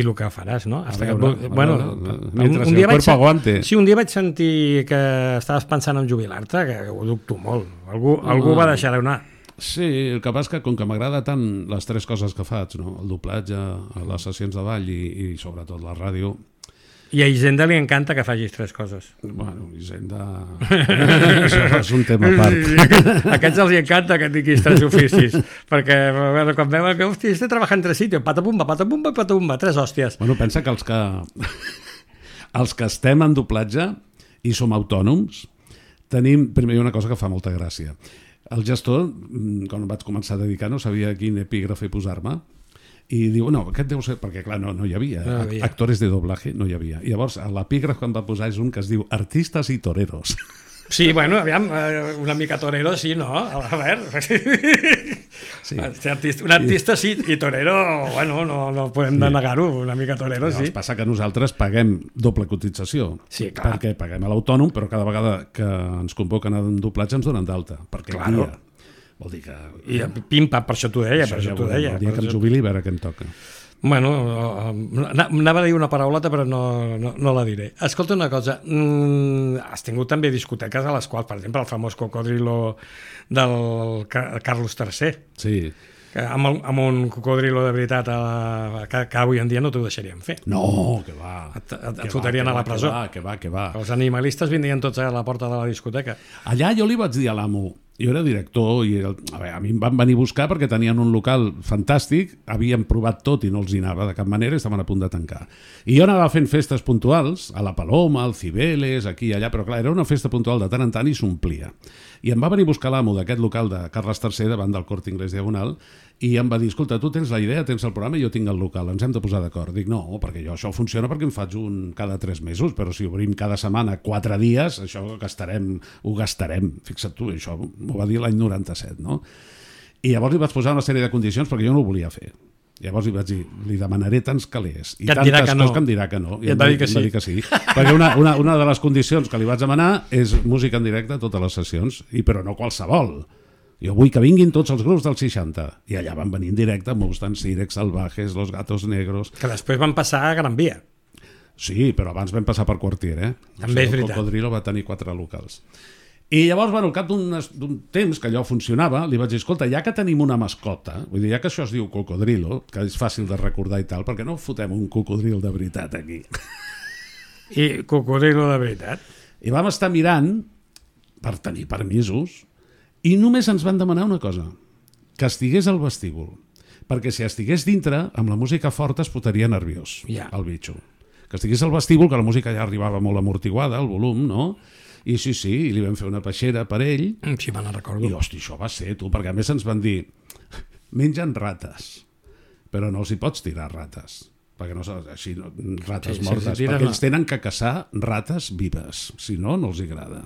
el que faràs, no? Mentre el cuerpo aguante. Sí, un dia vaig sentir que estaves pensant en jubilar-te, que ho dubto molt. Algú va deixar anar. Sí, el que passa que com que m'agrada tant les 3 coses que faig, no? El doblatge, les sessions de ball i sobretot la ràdio. I a Hisenda li encanta que facis 3 coses. Bueno, Hisenda... Això és un tema a part. A aquests els encanta que tinguis 3 oficis, perquè quan veuen que, hòstia, estic treballant en 3 sitios, patapumba, 3 hòsties. Bueno, pensa que els que estem en doblatge i som autònoms, tenim, primer, una cosa que fa molta gràcia. El gestor, quan em vaig començar a dedicar, no sabia quin epígrafe posar-me i diu, no, aquest deu ser... Perquè, clar, no hi havia. Actores de doblaje no hi havia. I llavors, l'epígraf que em va posar és un que es diu Artistes i Toreros. Sí, bueno, aviam, una mica torero, sí, no? A veure... Sí. Un artista sí, i torero, bueno, no podem negar-ho, una mica torero, sí. Passa que nosaltres paguem doble cotització. Sí, clar. Perquè paguem a l'autònom, però cada vegada que ens convoquen a un doblatge ens donen d'alta. Perquè claro. Vol dir que... I pim-pam, per això t'ho deia, El dia que em jubili, a veure què em toca. Bueno, anava a dir una paraulota però no la diré. Escolta una cosa, has tingut també discoteques a les quals, per exemple, el famós Cocodrilo del Carlos III. Sí. Amb un cocodrilo de veritat que avui en dia no t'ho deixarien fer. No, que va. Et fotrien a la presó. Que va. Els animalistes vindrien tots a la porta de la discoteca. Allà jo li vaig dir a l'amo, jo era director i a mi em van venir a buscar perquè tenien un local fantàstic, havien provat tot i no els hi anava de cap manera, estaven a punt de tancar. I jo anava fent festes puntuals, a la Paloma, al Cibeles, aquí i allà, però clar, era una festa puntual de tant en tant i s'omplia. I em va venir a buscar l'amo d'aquest local de Carles III davant del Corte Inglés Diagonal i em va dir, escolta, tu tens la idea, tens el programa i jo tinc el local, ens hem de posar d'acord. Dic, no, perquè això funciona perquè en faig un cada 3 mesos, però si obrim cada setmana 4 dies, això ho gastarem. Fixa't tu, això m'ho va dir l'any 97, no? I llavors li vaig posar una sèrie de condicions perquè jo no ho volia fer. Llavors li demanaré tants calés i que et dirà tantes que no. coses que em dirà que no. I et va dir que sí. Em va dir que sí. Perquè una de les condicions que li vaig demanar és música en directe a totes les sessions, però no qualsevol. Jo vull que vinguin tots els grups dels 60. I allà van venir en directe Mustang, Sirex, Salvajes, Los Gatos Negros... Que després van passar a Gran Via. Sí, però abans vam passar per Quartier, També és veritat. El Cocodrilo va tenir 4 locals. I llavors, al cap d'un temps que allò funcionava, li vaig dir, escolta, ja que tenim una mascota, vull dir, ja que això es diu Cocodrilo, que és fàcil de recordar i tal, perquè no fotem un cocodril de veritat aquí? I Cocodrilo de veritat. I vam estar mirant per tenir permisos i només ens van demanar una cosa, que estigués al vestíbul, perquè si estigués dintre, amb la música forta es potaria nerviós, el bitxo. Que estigués al vestíbul, que la música ja arribava molt amortiguada, el volum, no? I sí, li vam fer una peixera per ell. Sí, me la recordo. I, hosti, això va ser, tu, perquè a més ens van dir, mengen rates, però no els hi pots tirar rates, perquè no així, rates mortes, perquè ells tenen que caçar rates vives, si no, no els agrada.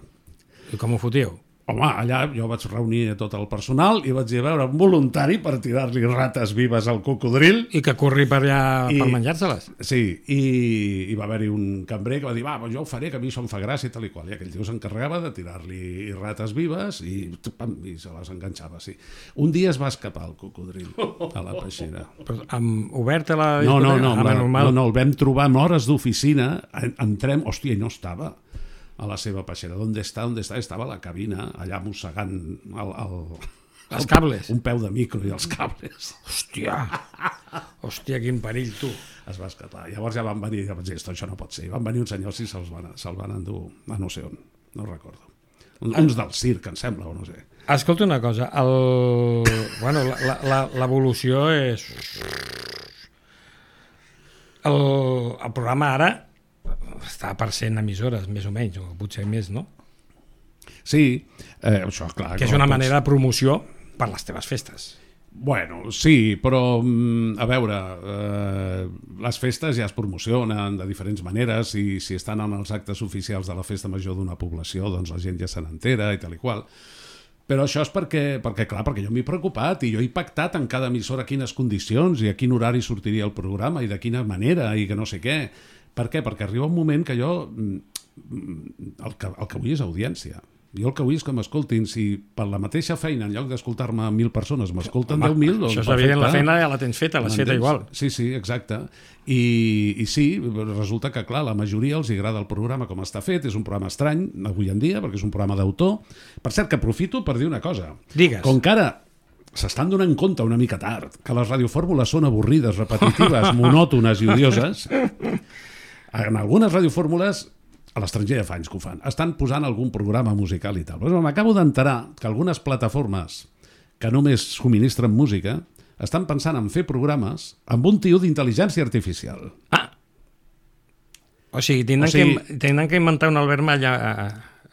I com ho fotíeu? Home, allà jo vaig reunir tot el personal i vaig dir, a veure, un voluntari per tirar-li rates vives al cocodril. I que corri per allà per menjar-se-les. Sí, i va haver-hi un cambrer que va dir, jo ho faré, que a mi això em fa gràcia i tal i qual. I aquell tio s'encarregava de tirar-li rates vives i se les enganxava, sí. Un dia es va escapar el cocodril a la peixera. Però oberta la discoteca? No, el vam trobar en hores d'oficina, entrem, hòstia, i no estava a la seva peixera. On està? Estava a la cabina, allà mossegant els cables. Un peu de micro i els cables. Hòstia, quin perill, tu. Es va escapar. Llavors ja van venir, això no pot ser. Van venir uns senyors i se'l van endur a no sé on, no recordo. Uns del circ, em sembla, o no sé. Escolta una cosa, l'evolució és... El programa ara està per 100 emissores, més o menys, o potser més, no? Sí, això, clar. Que és una manera de promoció per les teves festes. Bueno, sí, però, a veure, les festes ja es promocionen de diferents maneres i si estan en els actes oficials de la festa major d'una població, doncs la gent ja se n'entera i tal i qual. Però això és perquè jo m'he preocupat i jo he pactat en cada emissora quines condicions i a quin horari sortiria el programa i de quina manera i que no sé què. Per què? Perquè arriba un moment que jo el que vull és audiència. Jo el que vull és que m'escoltin. Si per la mateixa feina, en lloc d'escoltar-me 1.000 persones, m'escolten 10.000... Doncs això és evident, la feina ja la tens feta, l'has feta igual. Sí, exacte. I sí, resulta que, clar, la majoria els agrada el programa com està fet. És un programa estrany, avui en dia, perquè és un programa d'autor. Per cert, que aprofito per dir una cosa. Digues. Com que ara s'estan donant compte una mica tard que les radiofórmules són avorrides, repetitives, monòtones i odioses, en algunes radiofórmules, a l'estranger ja fa anys que ho fan, estan posant algun programa musical i tal. Però m'acabo d'enterar que algunes plataformes que només subministren música estan pensant en fer programes amb un tio d'intel·ligència artificial. O sigui, tindran que inventar un Albert Malla...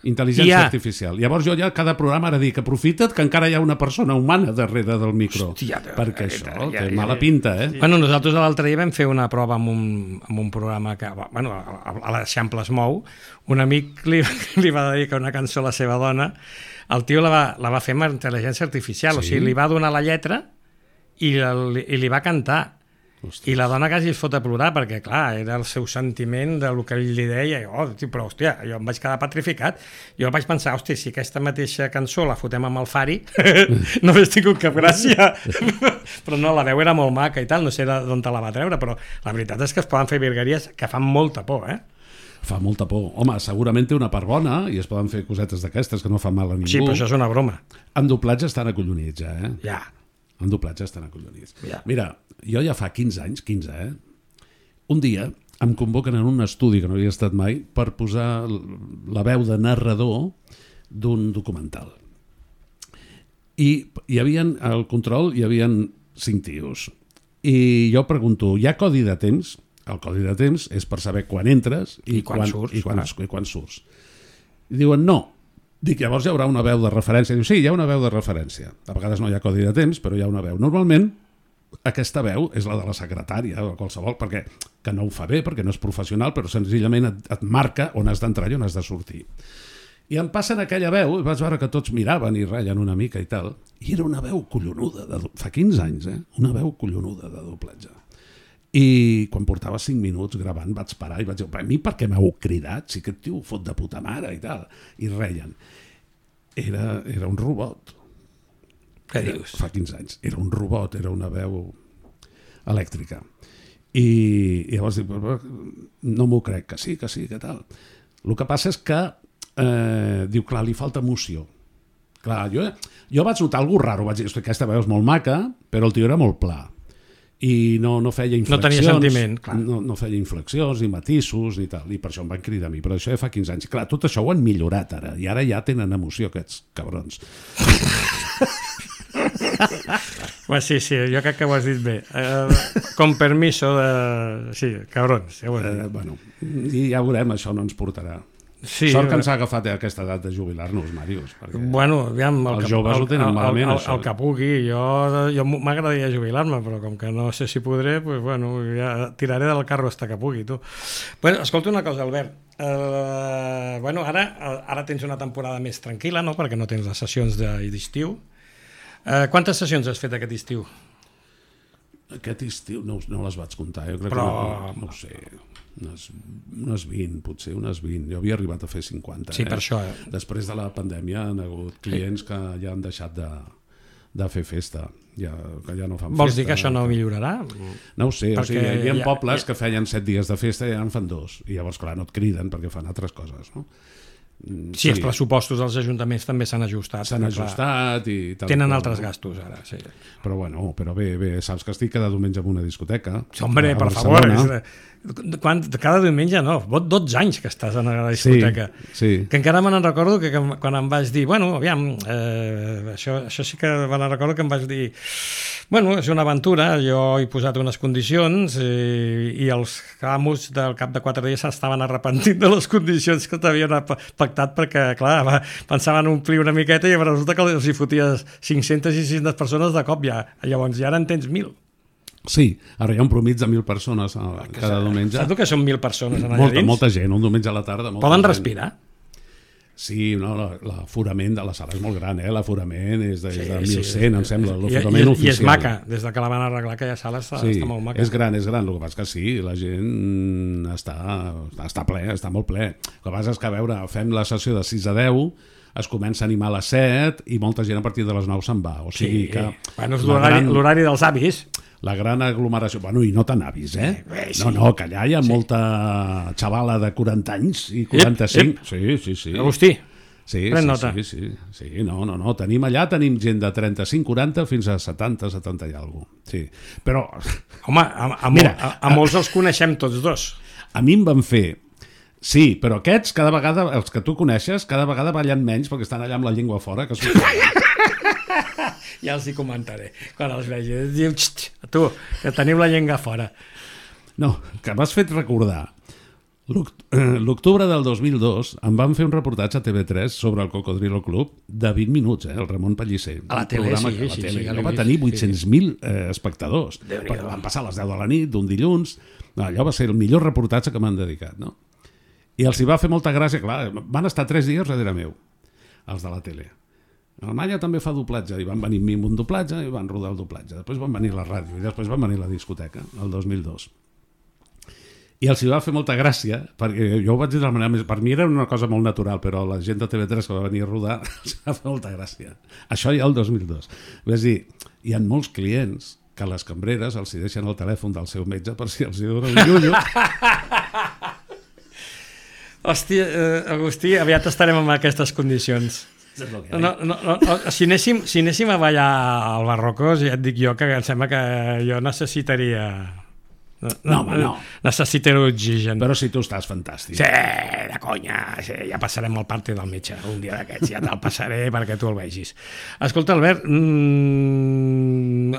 Intel·ligència artificial. Llavors jo ja cada programa ara dic, aprofita't que encara hi ha una persona humana darrere del micro. Hòstia, perquè això té mala pinta, eh? Bueno, nosaltres l'altre dia vam fer una prova amb un programa que, bueno, a l'Eixample es mou. Un amic li va dedicar una cançó a la seva dona. El tio la va fer amb intel·ligència artificial. O sigui, li va donar la lletra i li va cantar. I la dona quasi es fot a plorar perquè, clar, era el seu sentiment del que ell li deia. Però, hòstia, jo em vaig quedar petrificat. Jo vaig pensar, hòstia, si aquesta mateixa cançó la fotem amb el Fari, no hauria tingut cap gràcia. Però no, la veu era molt maca i tal, no sé d'on te la va treure, però la veritat és que es poden fer virgueries que fan molta por, eh? Fa molta por. Home, segurament té una part bona i es poden fer cosetes d'aquestes que no fan mal a ningú. Sí, però això és una broma. En doblatge estan acollonits, eh? Ja. En doblatge estan acollonits. Ja. Mira, jo ja fa 15 anys, un dia em convoquen en un estudi que no havia estat mai per posar la veu de narrador d'un documental. I hi havia al control, hi havia 5 tios. I jo pregunto, hi ha codi de temps? El codi de temps és per saber quan entres i quan surts. I diuen, no. Dic, llavors hi haurà una veu de referència. Diu, sí, hi ha una veu de referència. A vegades no hi ha codi de temps, però hi ha una veu. Normalment, aquesta veu és la de la secretària o qualsevol, perquè que no ho fa bé, perquè no és professional, però senzillament et marca on has d'entrar i on has de sortir. I em passen aquella veu, i vaig veure que tots miraven i reien una mica i tal, i era una veu collonuda, fa 15 anys, una veu collonuda de doblatge. I quan portava 5 minuts gravant vaig parar i vaig dir, a mi per què m'heu cridat? Si aquest tio fot de puta mare i tal. I reien. Era un robot. Què dius? Fa 15 anys. Era un robot, era una veu elèctrica. I llavors dic, no m'ho crec, que sí, que tal. El que passa és que diu, clar, li falta emoció. Clar, jo vaig notar alguna raro, vaig dir, aquesta veu és molt maca, però el tio era molt pla. I no feia inflexions. No tenia sentiment, clar. No feia inflexions, ni matisos, ni tal. I per això em van cridar a mi. Però això ja fa 15 anys. Clar, tot això ho han millorat ara. I ara ja tenen emoció, aquests cabrons. Sí, jo crec que ho has dit bé. Con permiso de... Sí, cabrons. Ja bueno, i ja veurem, això no ens portarà. Sí, sort que ens ha agafat aquesta edat de jubilar-nos, Màrius. Bueno, aviam, els joves ho tenen malament, això. El que pugui. Jo m'agradaria jubilar-me, però com que no sé si podré, pues, bueno, ja tiraré del carro hasta que pugui, tu. Bueno, escolta una cosa, Albert. Bueno, ara tens una temporada més tranquil·la, no?, perquè no tens les sessions d'estiu. Quantes sessions has fet aquest estiu? Aquest estiu no les vaig comptar, jo crec que no ho sé, unes 20, potser unes 20. Jo havia arribat a fer 50. Sí, per això. Després de la pandèmia han hagut clients que ja han deixat de fer festa, que ja no fan festa. Vols dir que això no millorarà? No ho sé, o sigui, hi havia pobles que feien 7 dies de festa i ja en fan 2, i llavors, clar, no et criden perquè fan altres coses, no? Sí, els pressupostos dels ajuntaments també s'han ajustat. S'han ajustat i tal. Tenen altres gastos ara, sí. Però bueno, bé, saps que estic cada diumenge en una discoteca. Hombre, per favor. Cada diumenge no, 12 anys que estàs en la discoteca. Sí. Que encara me n'en recordo que quan em vas dir, bueno, aviam, això sí que me n'en recordo que em vas dir, bueno, és una aventura, jo he posat unes condicions i els amos del cap de 4 dies s'estaven arrepentint de les condicions que t'havien pactat perquè, clar, pensaven omplir una miqueta i resulta que els hi foties 500 i 600 persones de cop ja. Llavors ja ara en tens 1.000. Sí, ara hi ha un promig de 1.000 persones cada diumenge. Saps que són 1.000 persones allà dins? Molta gent, un diumenge a la tarda. Poden respirar? Sí, no, l'aforament de la sala és molt gran, l'aforament és de 1.100, em sembla, l'aforament oficial. I és maca, des que la van arreglar aquella sala està molt maca. És gran, el que passa que sí, la gent està ple, està molt ple. El que passa és que, a veure, fem la sessió de 6 a 10, es comença a animar a les 7 i molta gent a partir de les 9 se'n va. O sigui que... Bueno, és l'horari dels avis. La gran aglomeració... Bueno, i no tan avis, No, que allà hi ha molta xavala de 40 anys i 45. Sí. Agustí, pren nota. Sí, no. Tenim gent de 35, 40 fins a 70, 70 i alguna cosa. Sí, però... Home, a molts els coneixem tots dos. A mi em van fer... Sí, però aquests, cada vegada, els que tu coneixes, cada vegada ballen menys perquè estan allà amb la llengua fora. Ja els hi comentaré quan els vegi. Diu, tu, que teniu la llengua fora. No, que m'has fet recordar. L'octubre del 2002 em van fer un reportatge a TV3 sobre el Cocodrilo Club de 20 minuts, el Ramon Pellicer. A la tele, sí. Allò va tenir 800.000 espectadors. Perquè van passar a les 10 de la nit d'un dilluns. Allò va ser el millor reportatge que m'han dedicat, no? I els hi va fer molta gràcia, clar, van estar 3 dies darrere meu, els de la tele. Alemanya també fa doblatge, i van venir amb un doblatge i van rodar el doblatge. Després van venir la ràdio i després van venir la discoteca, el 2002. I els hi va fer molta gràcia, perquè jo ho vaig dir de la manera més... Per mi era una cosa molt natural, però la gent de TV3 que va venir a rodar els va fer molta gràcia. Això ja el 2002. És dir, hi ha molts clients que les cambreres els hi deixen el telèfon del seu metge per si els hi dona un llullo. Hòstia, Agustí, aviat estarem en aquestes condicions. Si anéssim a ballar al Barrocos, ja et dic jo que em sembla que jo necessitaria... No. Necessitaré oxigen. Però si tu estàs fantàstic. Sí, de conya. Sí, ja passarem el parte del metge. Un dia d'aquests ja te'l passaré perquè tu el vegis. Escolta, Albert,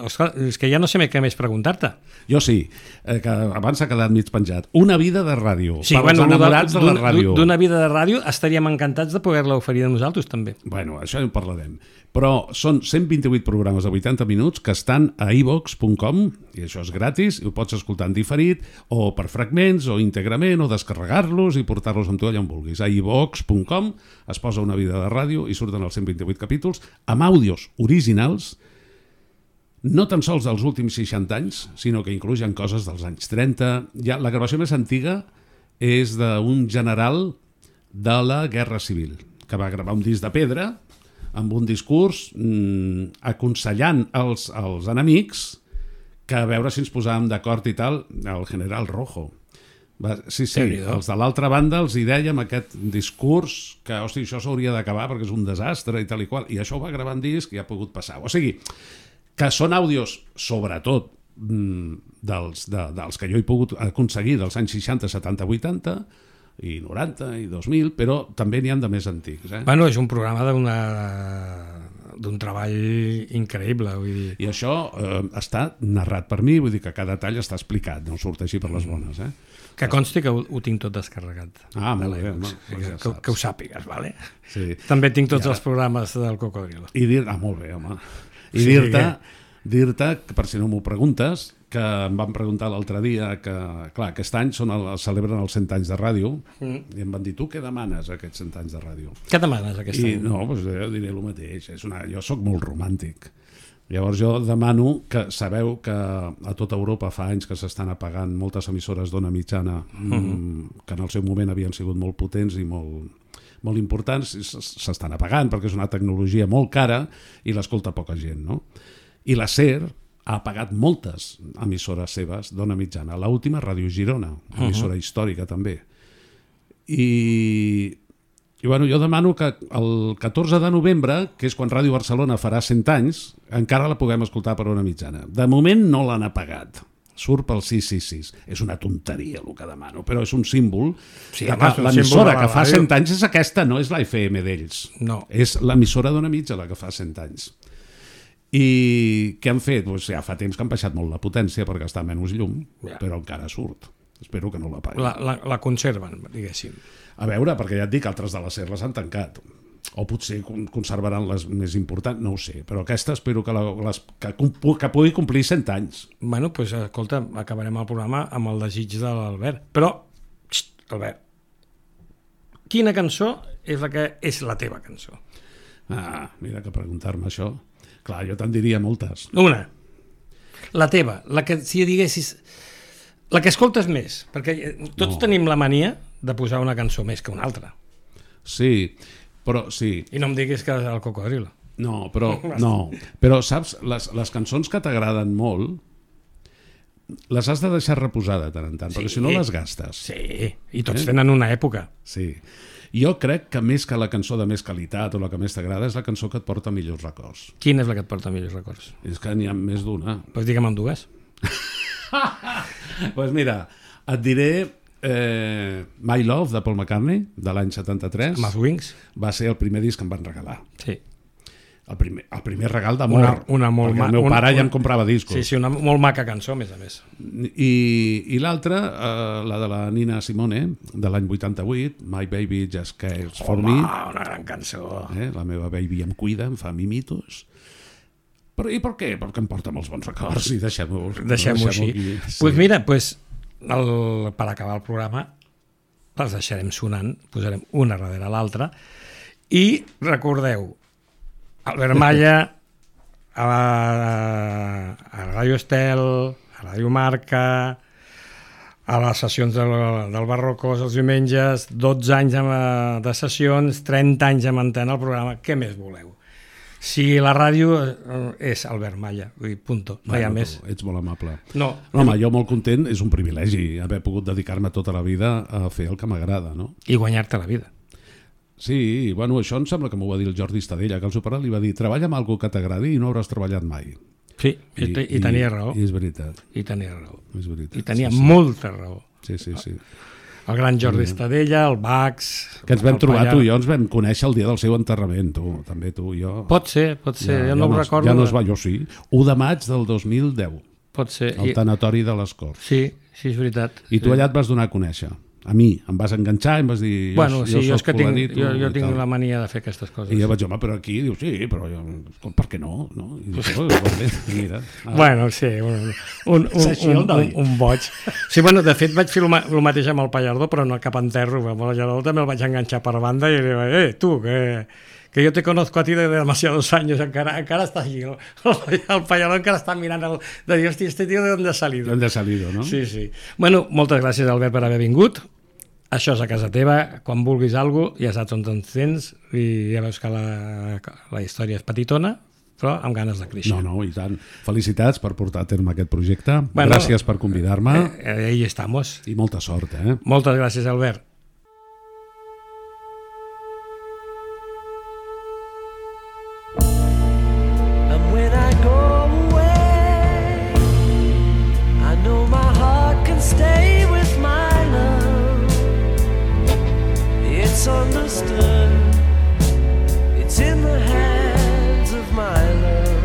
Oscar, és que ja no sé què més preguntar-te. Jo sí, que abans s'ha quedat mig penjat. Una vida de ràdio, Sí, per als enamorats de la ràdio. D'una vida de ràdio estaríem encantats de poder-la oferir a nosaltres també. Bueno, això ja en parlarem. Però són 128 programes de 80 minuts que estan a iVox.com, i això és gratis, i ho pots escoltar en diferit, o per fragments, o íntegrament, o descarregar-los i portar-los amb tu allà on vulguis. A iVox.com es posa Una vida de ràdio i surten els 128 capítols amb àudios originals, no tan sols dels últims 60 anys, sinó que incluyen coses dels anys 30. Ja, la gravació més antiga és d'un general de la Guerra Civil, que va gravar un disc de pedra amb un discurs aconsellant als enemics que a veure si ens posàvem d'acord i tal, el general Rojo. Sí, els de l'altra banda els hi dèiem aquest discurs que, hosti, això s'hauria d'acabar perquè és un desastre i tal i qual, i això ho va gravar en disc i ha pogut passar. O sigui, que són àudios, sobretot, dels que jo he pogut aconseguir dels anys 60, 70, 80, i 90 i 2000, però també n'hi ha de més antics. Bueno, és un programa d'un treball increïble, vull dir. I això està narrat per mi, vull dir que cada tall està explicat, no surt així per les bones. Que consti que ho tinc tot descarregat. Ah, molt bé, home. Que ho sàpigues, vale? Sí. També tinc tots els programes del Cocodrilo. Molt bé, home. I dir-te, per si no m'ho preguntes, que em van preguntar l'altre dia que, clar, aquest any celebren els 100 anys de ràdio, i em van dir, tu què demanes aquests 100 anys de ràdio? Què demanes aquest any? No, doncs jo diré el mateix, jo sóc molt romàntic. Llavors jo demano que sabeu que a tota Europa fa anys que s'estan apagant moltes emissores d'ona mitjana que en el seu moment havien sigut molt potents i molt importants, s'estan apagant perquè és una tecnologia molt cara i l'escolta poca gent, no? I la SER ha apagat moltes emissores seves d'ona mitjana. L'última, Ràdio Girona, emissora històrica també. I bueno, jo demano que el 14 de novembre, que és quan Ràdio Barcelona farà 100 anys, encara la puguem escoltar per ona mitjana. De moment no l'han apagat. Surt pel 666. És una tonteria el que demano, però és un símbol. Sí, l'emissora que fa 100 anys és aquesta, no és la FM d'ells. No. És l'emissora d'ona mitja la que fa 100 anys. I què han fet? Pues ja fa temps que han baixat molt la potència per gastar menys llum, però encara surt. Espero que no la paguin. La conserven, diguéssim. A veure, perquè ja et dic, altres de les SER les han tancat. O potser conservaran les més importants, no ho sé. Però aquesta espero que pugui complir 100 anys. Bueno, doncs escolta, acabarem el programa amb el desig de l'Albert. Però, Albert, quina cançó és la que és la teva cançó? Ah, mira que preguntar-me això. Clar, jo te'n diria moltes. Una. La teva, la que, si diguessis, la que escoltes més, perquè tots tenim la mania de posar una cançó més que una altra. Sí, però sí. I no em diguis que és el Cocodrilo. No, però saps, les cançons que t'agraden molt les has de deixar reposar de tant en tant, perquè si no les gastes. Sí, i tots tenen una època. Sí. Jo crec que més que la cançó de més qualitat o la que més t'agrada és la cançó que et porta millors records. Quina és la que et porta millors records? És que n'hi ha més d'una. Doncs digue'm en dues. Doncs mira, et diré My Love de Paul McCartney de l'any 73. Amb els Wings. Va ser el primer disc que em van regalar. Sí. El primer regal d'amor. Perquè el meu pare ja em comprava discos. Sí, una molt maca cançó, a més a més. I l'altra, la de la Nina Simone, de l'any 88, My Baby Just Cares For Me. Una gran cançó. La meva baby em cuida, em fa mimitos. Però i per què? Perquè em porta molts bons records i deixem-ho així. Doncs mira, per acabar el programa les deixarem sonant, posarem una darrere l'altra i recordeu, Albert Malla a Ràdio Estel, a Ràdio Marca, a les sessions del Barrocos els diumenges, 12 anys de sessions, 30 anys amb antena al programa, què més voleu? Si la ràdio és Albert Malla, punto, no hi ha més. Ets molt amable. No, home, jo molt content, és un privilegi haver pogut dedicar-me tota la vida a fer el que m'agrada, no? I guanyar-te la vida. Sí, bueno, això em sembla que m'ho va dir el Jordi Estadella, que el superat li va dir, treballa amb alguna que t'agradi i no hauràs treballat mai. Sí, i tenia raó. I és veritat. I tenia raó. És veritat. I tenia molta raó. Sí. El gran Jordi Estadella, el Bax... Que ens vam trobar, tu i jo ens vam conèixer el dia del seu enterrament, tu, també tu i jo. Pot ser, jo no ho recordo. Ja no es va, jo sí. 1 de maig del 2010. Pot ser. El tanatori de les Corts. Sí, és veritat. I tu allà et vas donar a conèixer. A mi, em vas enganxar i em vas dir... Bueno, sí, jo és que tinc la mania de fer aquestes coses. I jo vaig dir, home, però aquí, diu, sí, però jo, per què no? I dic, mira. Bueno, sí, un boig. Sí, bueno, de fet vaig fer el mateix amb el Pallardó, però no cap enterro. Amb el Pallardó també el vaig enganxar per banda i dic, tu, que yo te conozco a ti de demasiados años, encara está allí, el Pallardó encara està mirant de dir, hosti, este tío de dónde ha salido. ¿De dónde ha salido, no? Sí, sí. Bueno, moltes gràcies, Albert, per haver vingut. Això és a casa teva, quan vulguis alguna cosa, ja saps on ens tens, i ja veus que la història és petitona, però amb ganes de créixer. No, i tant. Felicitats per portar a terme aquest projecte. Bueno, gràcies per convidar-me. Ahí estamos. I molta sort, Moltes gràcies, Albert. Stay with my love. It's understood. It's in the hands of my love.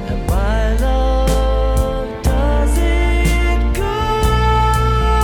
And my love does it good.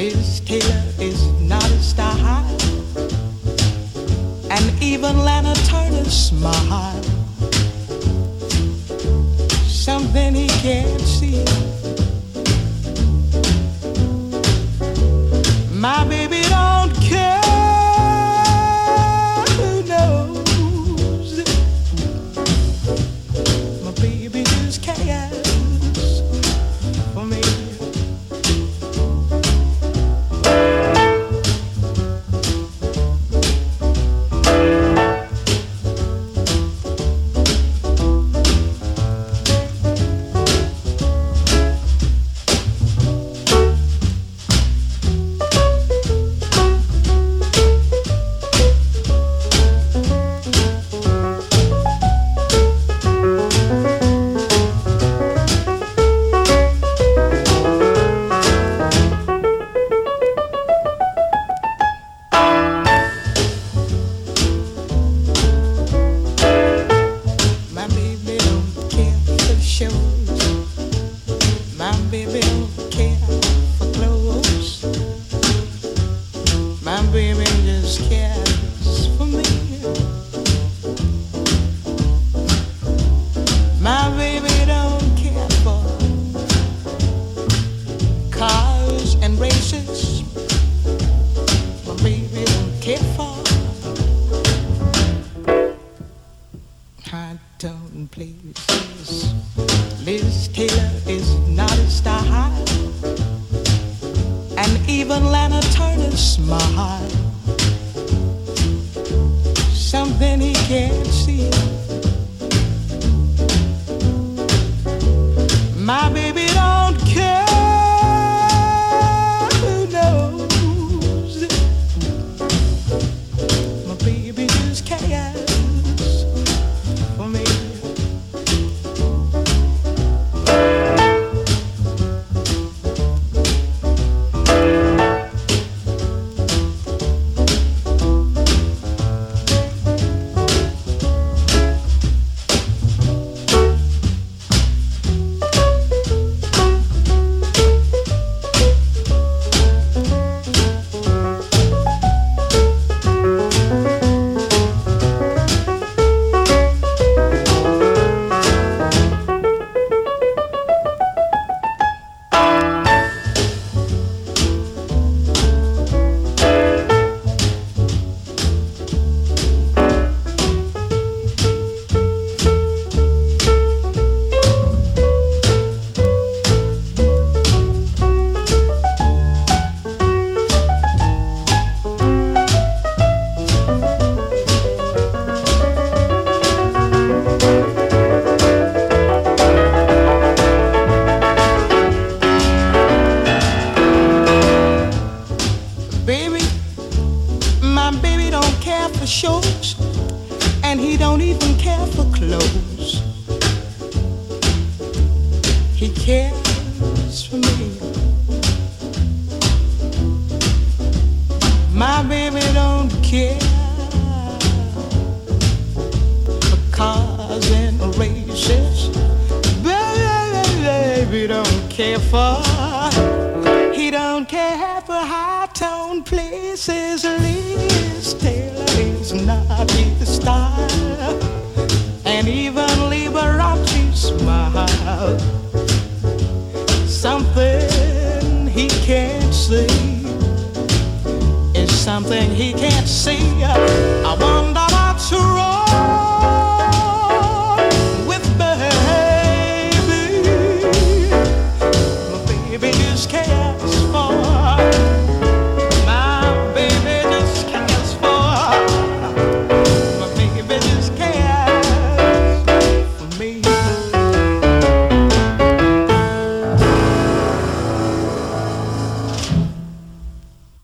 Liz Taylor is not a star, and even Lana Turner's smile, something he can't see. My baby don't care who knows. My baby just cares for me. Liz Taylor is not a star, and even Lana Turner's smile, something he can't see. My baby don't care who knows. My baby just cares for me. Shows, and he don't even care for clothes. He cares for me. My baby don't care for cars and races. Baby don't care for. He don't care for high-tone places. Liz Taylor is not his style, and even Liberace smile. Something he can't see is something he can't see.